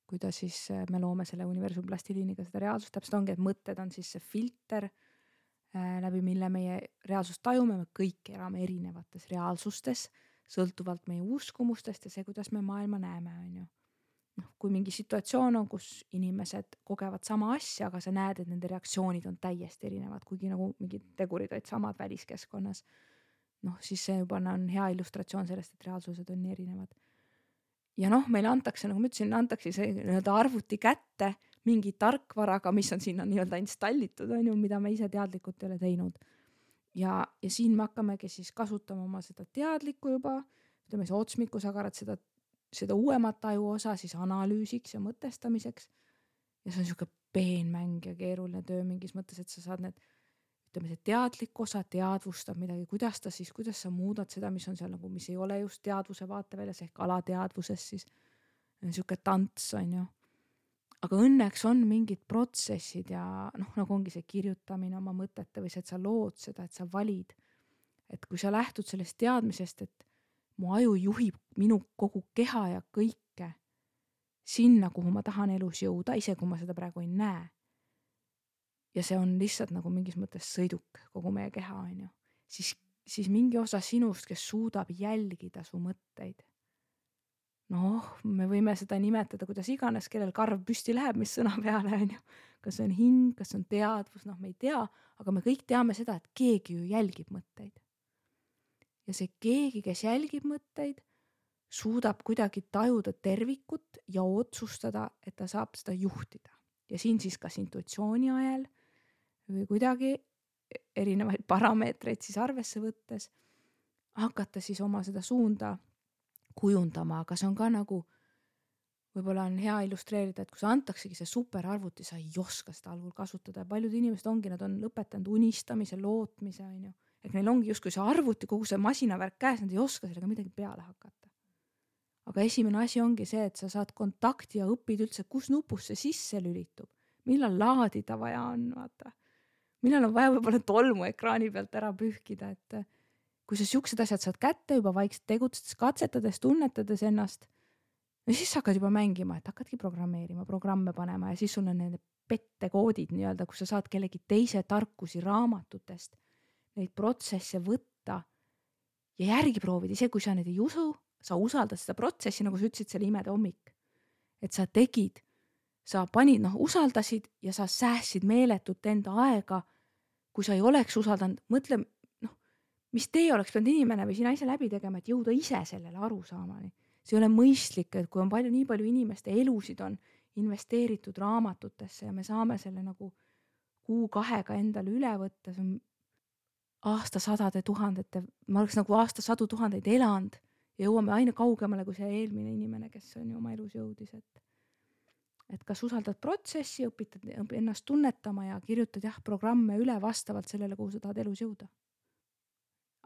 kuidas siis me loome selle universumi plastiliiniga seda reaalsust, täpselt ongi, et mõtted on siis see filter, läbi mille meie reaalsust tajume, me kõik elame erinevates reaalsustes, sõltuvalt meie uskumustest ja see, kuidas me maailma näeme, on ju. No, kui mingi situatsioon on, kus inimesed kogevad sama asja, aga sa näed, et nende reaktsioonid on täiesti erinevad, kuigi nagu mingid tegurid olid samad väliskeskkonnas, noh, siis see juba on hea illustratsioon sellest, et reaalsused on nii erinevad. Ja noh, meile antakse, nagu ma ütlesin, antakse see nii-öelda arvuti kätte mingi tarkvaraga, mis on sinna nii-öelda installitud, on ju, mida me ise teadlikult ei ole teinud. Ja, ja siin me hakkamegi siis kasutama oma seda teadlikku juba, ütleme see otsmikusagarad, seda, seda uuemat aju osa siis analüüsiks ja mõtestamiseks. Ja see on niisugune peenmäng ja keeruline töö mingis mõttes, et sa saad need, ütleme see teadlik osa teadvustab midagi, kuidas ta siis, kuidas sa muudad seda, mis on seal nagu, mis ei ole just teadvuse vaateväljas ehk alateadvuses siis. Niisugune tants on ju. Aga õnneks on mingid protsessid ja noh, nagu ongi see kirjutamine oma mõtete või see, et sa lood seda, et sa valid. Et kui sa lähtud sellest teadmisest, et mu aju juhib minu kogu keha ja kõike sinna, kuhu ma tahan elus jõuda, ise kui ma seda praegu ei näe. Ja see on lihtsalt nagu mingis mõttes sõiduk kogu meie keha, on ju. Siis, siis mingi osa sinust, kes suudab jälgida su mõtteid. Noh, me võime seda nimetada, kuidas iganes, kellel karv püsti läheb, mis sõna peale, on ju. Kas see on hing, kas see on teadvus, noh, me ei tea, aga me kõik teame seda, et keegi ju jälgib mõtteid. Ja see keegi, kes jälgib mõtteid, suudab kuidagi tajuda tervikut ja otsustada, et ta saab seda juhtida. Ja siin siis kas intuitsiooni ajal või kuidagi erinevaid parameetreid siis arvesse võttes hakata siis oma seda suunda kujundama, aga see on ka nagu, võib-olla on hea illustreerida, et kui sa antaksegi see superarvuti, sa ei oska seda algul kasutada ja paljud inimesed ongi, nad on lõpetanud unistamise, lootmise, on ju. Et neil ongi just kui see arvuti, kogu see masinavärk käes, nad ei oska sellega midagi peale hakata. Aga esimene asi ongi see, et sa saad kontakti ja õpid üldse, kus nupus see sisse lülitub, millal laadida vaja on, vaata. Millal on vaja võib-olla tolmu ekraani pealt ära pühkida, et kui sa siuksed asjad saad kätte juba vaikselt tegutsedes, katsetades, tunnetades ennast, ja siis hakkad juba mängima, et hakkadki programmeerima, programme panema ja siis sul on need pettekoodid nii-öelda, kus sa saad kellegi teise tarkusi raamatutest, neid protsesse võtta ja järgi proovida, ise kui sa neid ei usu, sa usaldad seda protsessi, nagu sa ütlesid, selle imede hommik. Et sa tegid, sa panid, noh, usaldasid ja sa säässid meeletut enda aega, kui sa ei oleks usaldanud, mõtle, noh, mis teie oleks pidanud inimene või sina ise läbi tegema, et jõuda ise sellele arusaamani. See ei ole mõistlik, et kui on palju, nii palju inimeste elusid on investeeritud raamatutesse ja me saame selle nagu kuu kahega endale üle võtta, see on aastasadade tuhandete, ma oleks nagu aastasadu tuhandeid elanud ja jõuame aina kaugemale kui see eelmine inimene, kes on ju oma elus jõudis, et et kas usaldad protsessi, õpitad ennast tunnetama ja kirjutad jah programme üle vastavalt sellele, kuhu sa tahad elus jõuda.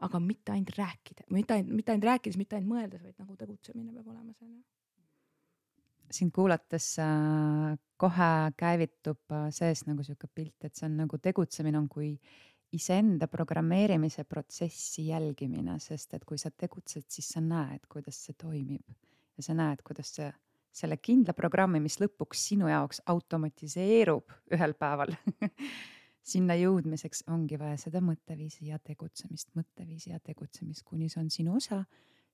Aga mitte ainult rääkida, mitte ainult, mitte ainult rääkides, mitte ainult mõeldes, vaid nagu tegutsemine peab olema seal. Sind kuulates äh, kohe käivitub äh, sees nagu siuke pilt, et see on nagu tegutsemine on kui iseenda programmeerimise protsessi jälgimine, sest et kui sa tegutsed, siis sa näed, kuidas see toimib ja sa näed, kuidas see selle kindla programmi, mis lõpuks sinu jaoks automatiseerub ühel päeval sinna jõudmiseks ongi vaja seda mõtteviisi ja tegutsemist, mõtteviisi ja tegutsemist, kuni see on sinu osa,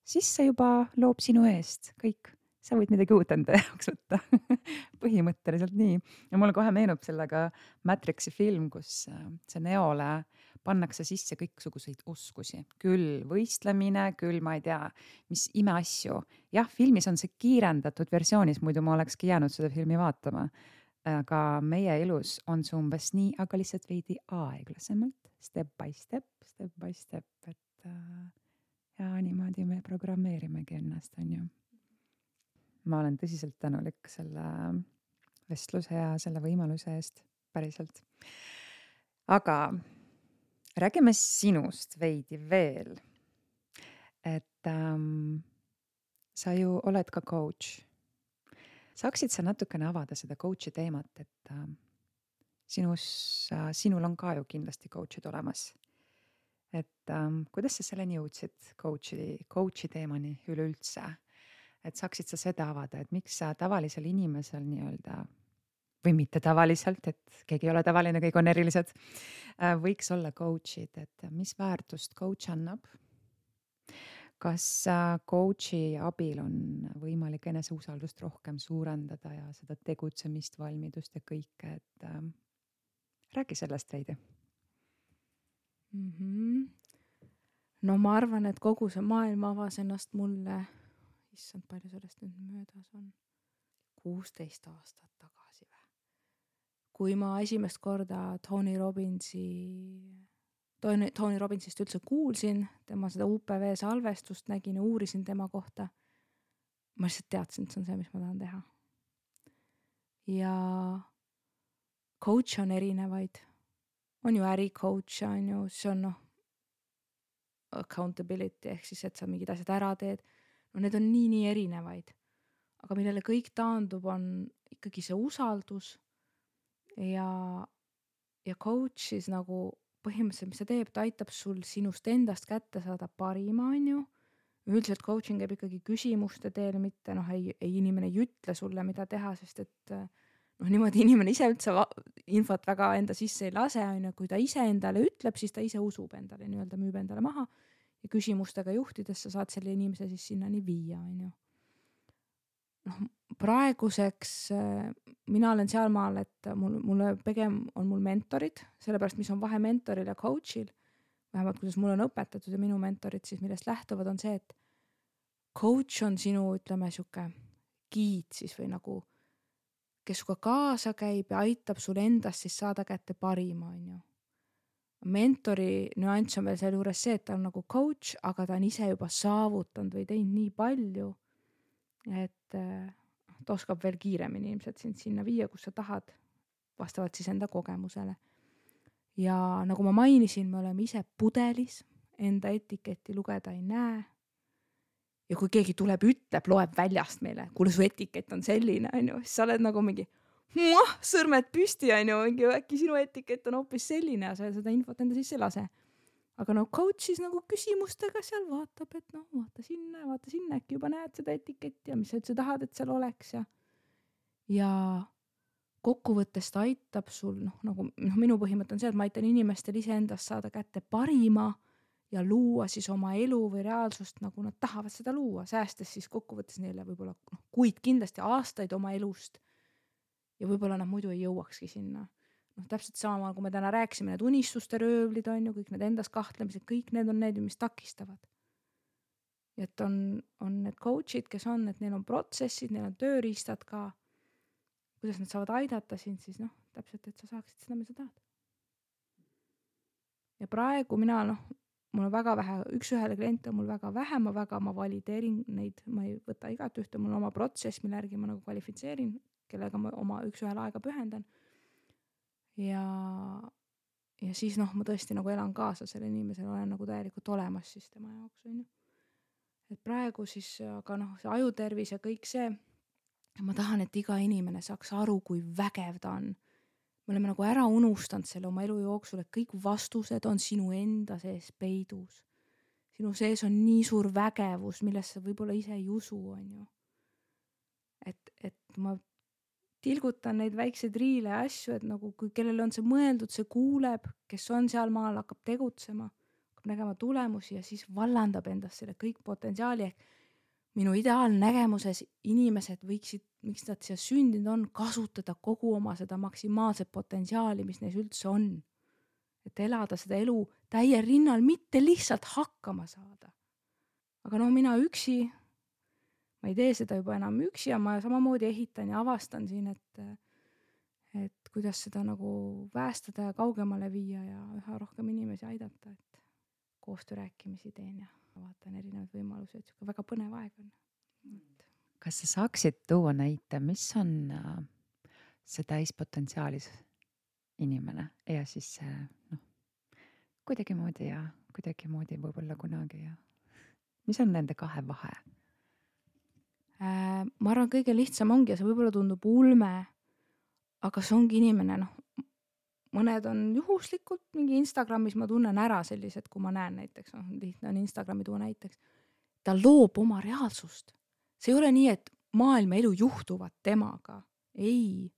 siis see juba loob sinu eest kõik. Sa võid midagi uut enda jaoks võtta. Põhimõtteliselt nii. Ja mulle kohe meenub sellega Matrixi film, kus see Neole pannakse sisse kõiksuguseid oskusi. Küll võistlemine, küll ma ei tea, mis imeasju. Jah, filmis on see kiirendatud versioonis, muidu ma olekski jäänud seda filmi vaatama. Aga meie elus on see umbes nii, aga lihtsalt veidi aeglasemalt, step by step, step by step, et ja niimoodi me programmeerimegi ennast, on ju. Ma olen tõsiselt tänulik selle vestluse ja selle võimaluse eest päriselt. Aga räägime sinust veidi veel. Et ähm, sa ju oled ka coach. Saaksid sa natukene avada seda coachi teemat, et äh, sinus, äh, sinul on ka ju kindlasti coachid olemas. Et ähm, kuidas sa selleni jõudsid coachi, coachi teemani üleüldse? Et saaksid sa seda avada, et miks sa tavalisel inimesel nii-öelda, või mitte tavaliselt, et keegi ei ole tavaline, kõik on erilised, võiks olla coachid, et mis väärtust coach annab? Kas coachi abil on võimalik eneseusaldust rohkem suurendada ja seda tegutsemist, valmidust ja kõike, et äh, räägi sellest veidi. Mm-hmm. No ma arvan, et kogu see maailm avas ennast mulle issand, palju sellest nüüd möödas on. kuusteist aastat tagasi või. Kui ma esimest korda Tony Robbinsi, Tony, Tony Robbinsist üldse kuulsin, tema seda U P V salvestust nägin ja uurisin tema kohta, ma lihtsalt teadsin, et see on see, mis ma tahan teha. Ja coach on erinevaid. On ju äri coach, on ju, see on noh, accountability, ehk siis, et sa mingid asjad ära teed. No need on nii, nii erinevaid, aga millele kõik taandub on ikkagi see usaldus ja, ja coach siis nagu põhimõtteliselt, mis ta teeb, ta aitab sul sinust endast kätte saada parima, on ju. Üldiselt coaching käib ikkagi küsimuste teel, mitte noh, ei, ei inimene ei ütle sulle, mida teha, sest et noh, niimoodi inimene ise üldse infot väga enda sisse ei lase, on ju, kui ta ise endale ütleb, siis ta ise usub endale, nii-öelda müüb endale maha. Ja küsimustega juhtides sa saad selle inimese siis sinnani viia, on ju. noh, praeguseks mina olen sealmaal, et mul, mulle pigem on mul mentorid, sellepärast mis on vahe mentoril ja coachil, vähemalt kuidas mul on õpetatud ja minu mentorid siis millest lähtuvad on see, et coach on sinu, ütleme, siuke giid siis või nagu, kes suga kaasa käib ja aitab sul endast siis saada kätte parima, on ju. Mentori nüanss on veel selle juures see, et ta on nagu coach, aga ta on ise juba saavutanud või teinud nii palju, et ta oskab veel kiiremini ilmselt sind sinna viia, kus sa tahad, vastavalt siis enda kogemusele. Ja nagu ma mainisin, me oleme ise pudelis, enda etiketti lugeda ei näe. Ja kui keegi tuleb, ütleb, loeb väljast meile, kuule su etikett on selline, on ju, siis sa oled nagu mingi muah, sõrmed püsti, on ju, mingi äkki sinu etikett on hoopis selline ja sa seda infot enda sisse lase. Aga no coach siis nagu küsimustega seal vaatab, et noh, vaata sinna, vaata sinna, äkki juba näed seda etiketti ja mis sa üldse tahad, et seal oleks. Ja, ja kokkuvõttes ta aitab sul, noh, nagu noh, minu põhimõte on see, et ma aitan inimestel iseendast saada kätte parima ja luua siis oma elu või reaalsust, nagu nad tahavad seda luua, säästes siis kokkuvõttes neile võib-olla noh, kuid kindlasti aastaid oma elust ja võib-olla nad muidu ei jõuakski sinna. Noh, täpselt sama, kui me täna rääksime, need unistuste röövlid on ju, kõik need endas kahtlemised, kõik need on need, mis takistavad. Ja et on, on need coachid, kes on, et neil on protsessid, neil on tööriistad ka, kuidas nad saavad aidata sind siis noh, täpselt, et sa saaksid seda, mis sa tahad. Ja praegu mina noh, mul on väga vähe, üks-ühele kliente on mul väga vähe, ma väga, ma valideerin neid, ma ei võta igat ühte, mul on oma protsess, mille järgi ma nagu kvalifitseerin, kellega ma oma üks-ühele aega pühendan. Ja, ja siis noh, ma tõesti nagu elan kaasa selle inimesele, olen nagu täielikult olemas siis tema jaoks, on ju. Et praegu siis, aga noh, see ajutervis ja kõik see, ma tahan, et iga inimene saaks aru, kui vägev ta on. Me oleme nagu ära unustanud selle oma elu jooksul, et kõik vastused on sinu enda sees peidus. Sinu sees on nii suur vägevus, millest sa võib-olla ise ei usu, on ju. Et, et ma tilgutan neid väikseid riile ja asju, et nagu kui kellele on see mõeldud, see kuuleb, kes on seal maal, hakkab tegutsema, hakkab nägema tulemusi ja siis vallandab endast selle kõik potentsiaali. Ehk minu ideaalnägemuses inimesed võiksid, miks nad siia sündinud on, kasutada kogu oma seda maksimaalset potentsiaali, mis neis üldse on. Et elada seda elu täie rinnal, mitte lihtsalt hakkama saada. Aga noh, mina üksi, ma ei tee seda juba enam üksi ja ma samamoodi ehitan ja avastan siin, et, et kuidas seda nagu päästada ja kaugemale viia ja üha rohkem inimesi aidata, et koostöö rääkimisi teen ja vaatan erinevaid võimalusi, et väga põnev aeg on. Kas sa saaksid tuua näite, mis on see täispotentsiaalis inimene ja siis see noh, kuidagi moodi ja kuidagi moodi võib-olla kunagi ja mis on nende kahe vahe? Äh, ma arvan, kõige lihtsam ongi ja see võib-olla tundub ulme, aga see ongi inimene, noh, mõned on juhuslikult, mingi Instagramis ma tunnen ära sellised, kui ma näen näiteks, noh, lihtne on Instagrami tuua näiteks, ta loob oma reaalsust. See ei ole nii, et maailma elu juhtuvad temaga. Ei,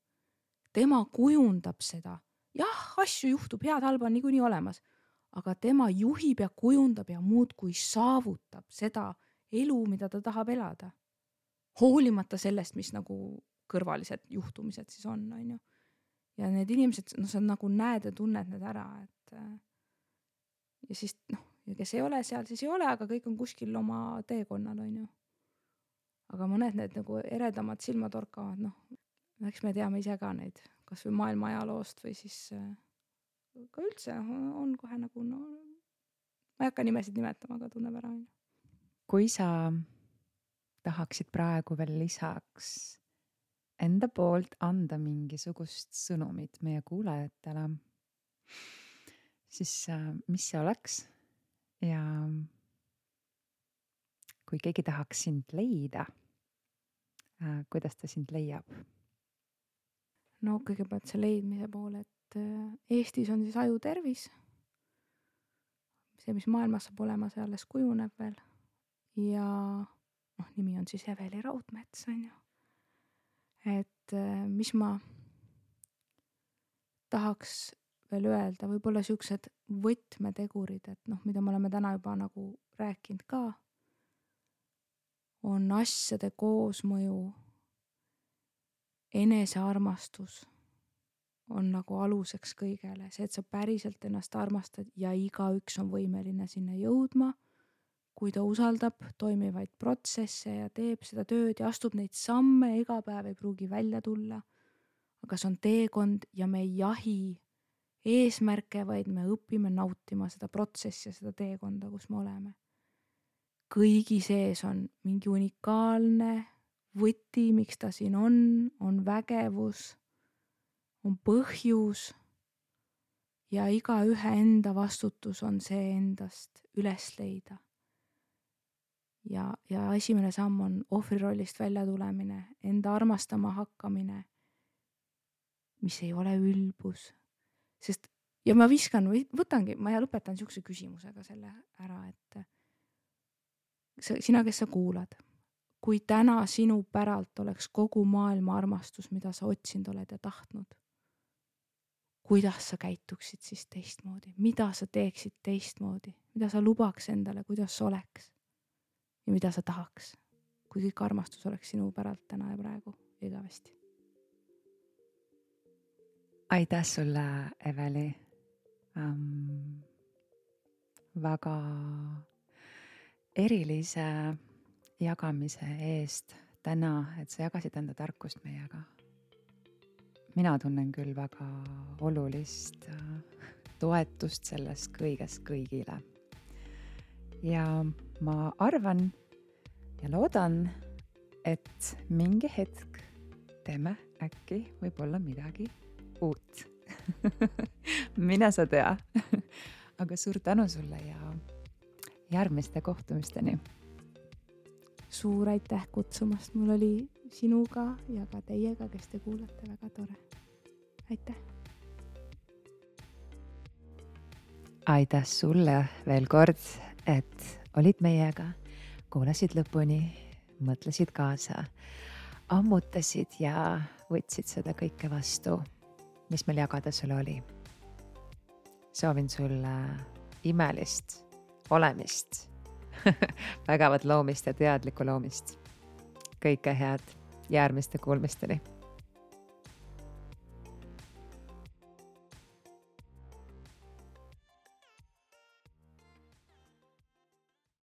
tema kujundab seda. Jah, asju juhtub, head halba on niikuinii olemas, aga tema juhib ja kujundab ja muud kui saavutab seda elu, mida ta tahab elada. Hoolimata sellest, mis nagu kõrvalised juhtumised siis on, on ju. Ja need inimesed, no sa nagu näed ja tunned need ära, et ja siis, noh, ja kes ei ole seal, siis ei ole, aga kõik on kuskil oma teekonnal, on ju. Aga mõned need nagu eredamad silmad orkavad, noh, eks me teame ise ka neid, kas või maailma ajaloost või siis ka üldse on kohe nagu, no, ma ei hakka nimesid nimetama, aga tunneb ära. Kui sa tahaksid praegu veel lisaks enda poolt anda mingisugust sõnumit meie kuulajatele, siis mis see oleks ja kui keegi tahaks sind leida, kuidas ta sind leiab? No kõigepealt see leidmise pool, et Eestis on siis ajutervis. See, mis maailmas saab olema, see alles kujuneb veel. Ja noh, nimi on siis Eveli Raudmets, on ju. Et mis ma tahaks veel öelda, võib-olla siuksed võtmetegurid, et noh, mida me oleme täna juba nagu rääkinud ka, on asjade koosmõju, enesearmastus on nagu aluseks kõigele. See, et sa päriselt ennast armastad ja igaüks on võimeline sinna jõudma, kui ta usaldab toimivaid protsesse ja teeb seda tööd ja astub neid samme, iga päev ei pruugi välja tulla. Aga see on teekond ja me ei jahi eesmärke, vaid me õpime nautima seda protsessi ja seda teekonda, kus me oleme. Kõigi sees on mingi unikaalne võti, miks ta siin on, on vägevus, on põhjus ja iga ühe enda vastutus on see endast üles leida. Ja, ja esimene samm on ohvrirollist välja tulemine, enda armastama hakkamine, mis ei ole ülbus. Sest, ja ma viskan, võtangi, ma lõpetan siukse küsimusega selle ära, et sina, kes sa kuulad, kui täna sinu päralt oleks kogu maailma armastus, mida sa otsinud oled ja tahtnud, kuidas sa käituksid siis teistmoodi, mida sa teeksid teistmoodi, mida sa lubaks endale, kuidas oleks ja mida sa tahaks, kui kõik armastus oleks sinu päralt täna ja praegu igavesti. Aitäh sulle, Eveli, um, väga erilise jagamise eest täna, et sa jagasid enda tarkust meiega. Mina tunnen küll väga olulist toetust sellest kõigest kõigile. ja ma arvan ja loodan, et mingi hetk teeme äkki võib-olla midagi uut. Mine sa tea. Aga suur tänu sulle ja järgmiste kohtumisteni. Suur aitäh kutsumast, mul oli sinuga ja ka teiega, kes te kuulate, väga tore. Aitäh! Aitäh sulle veel kord, et olid meiega, kuulasid lõpuni, mõtlesid kaasa, ammutasid ja võtsid seda kõike vastu, mis meil jagada sulle oli. Soovin sulle imelist olemist, vägevat loomist ja teadlikku loomist. Kõike head järgmiste kuulmisteni.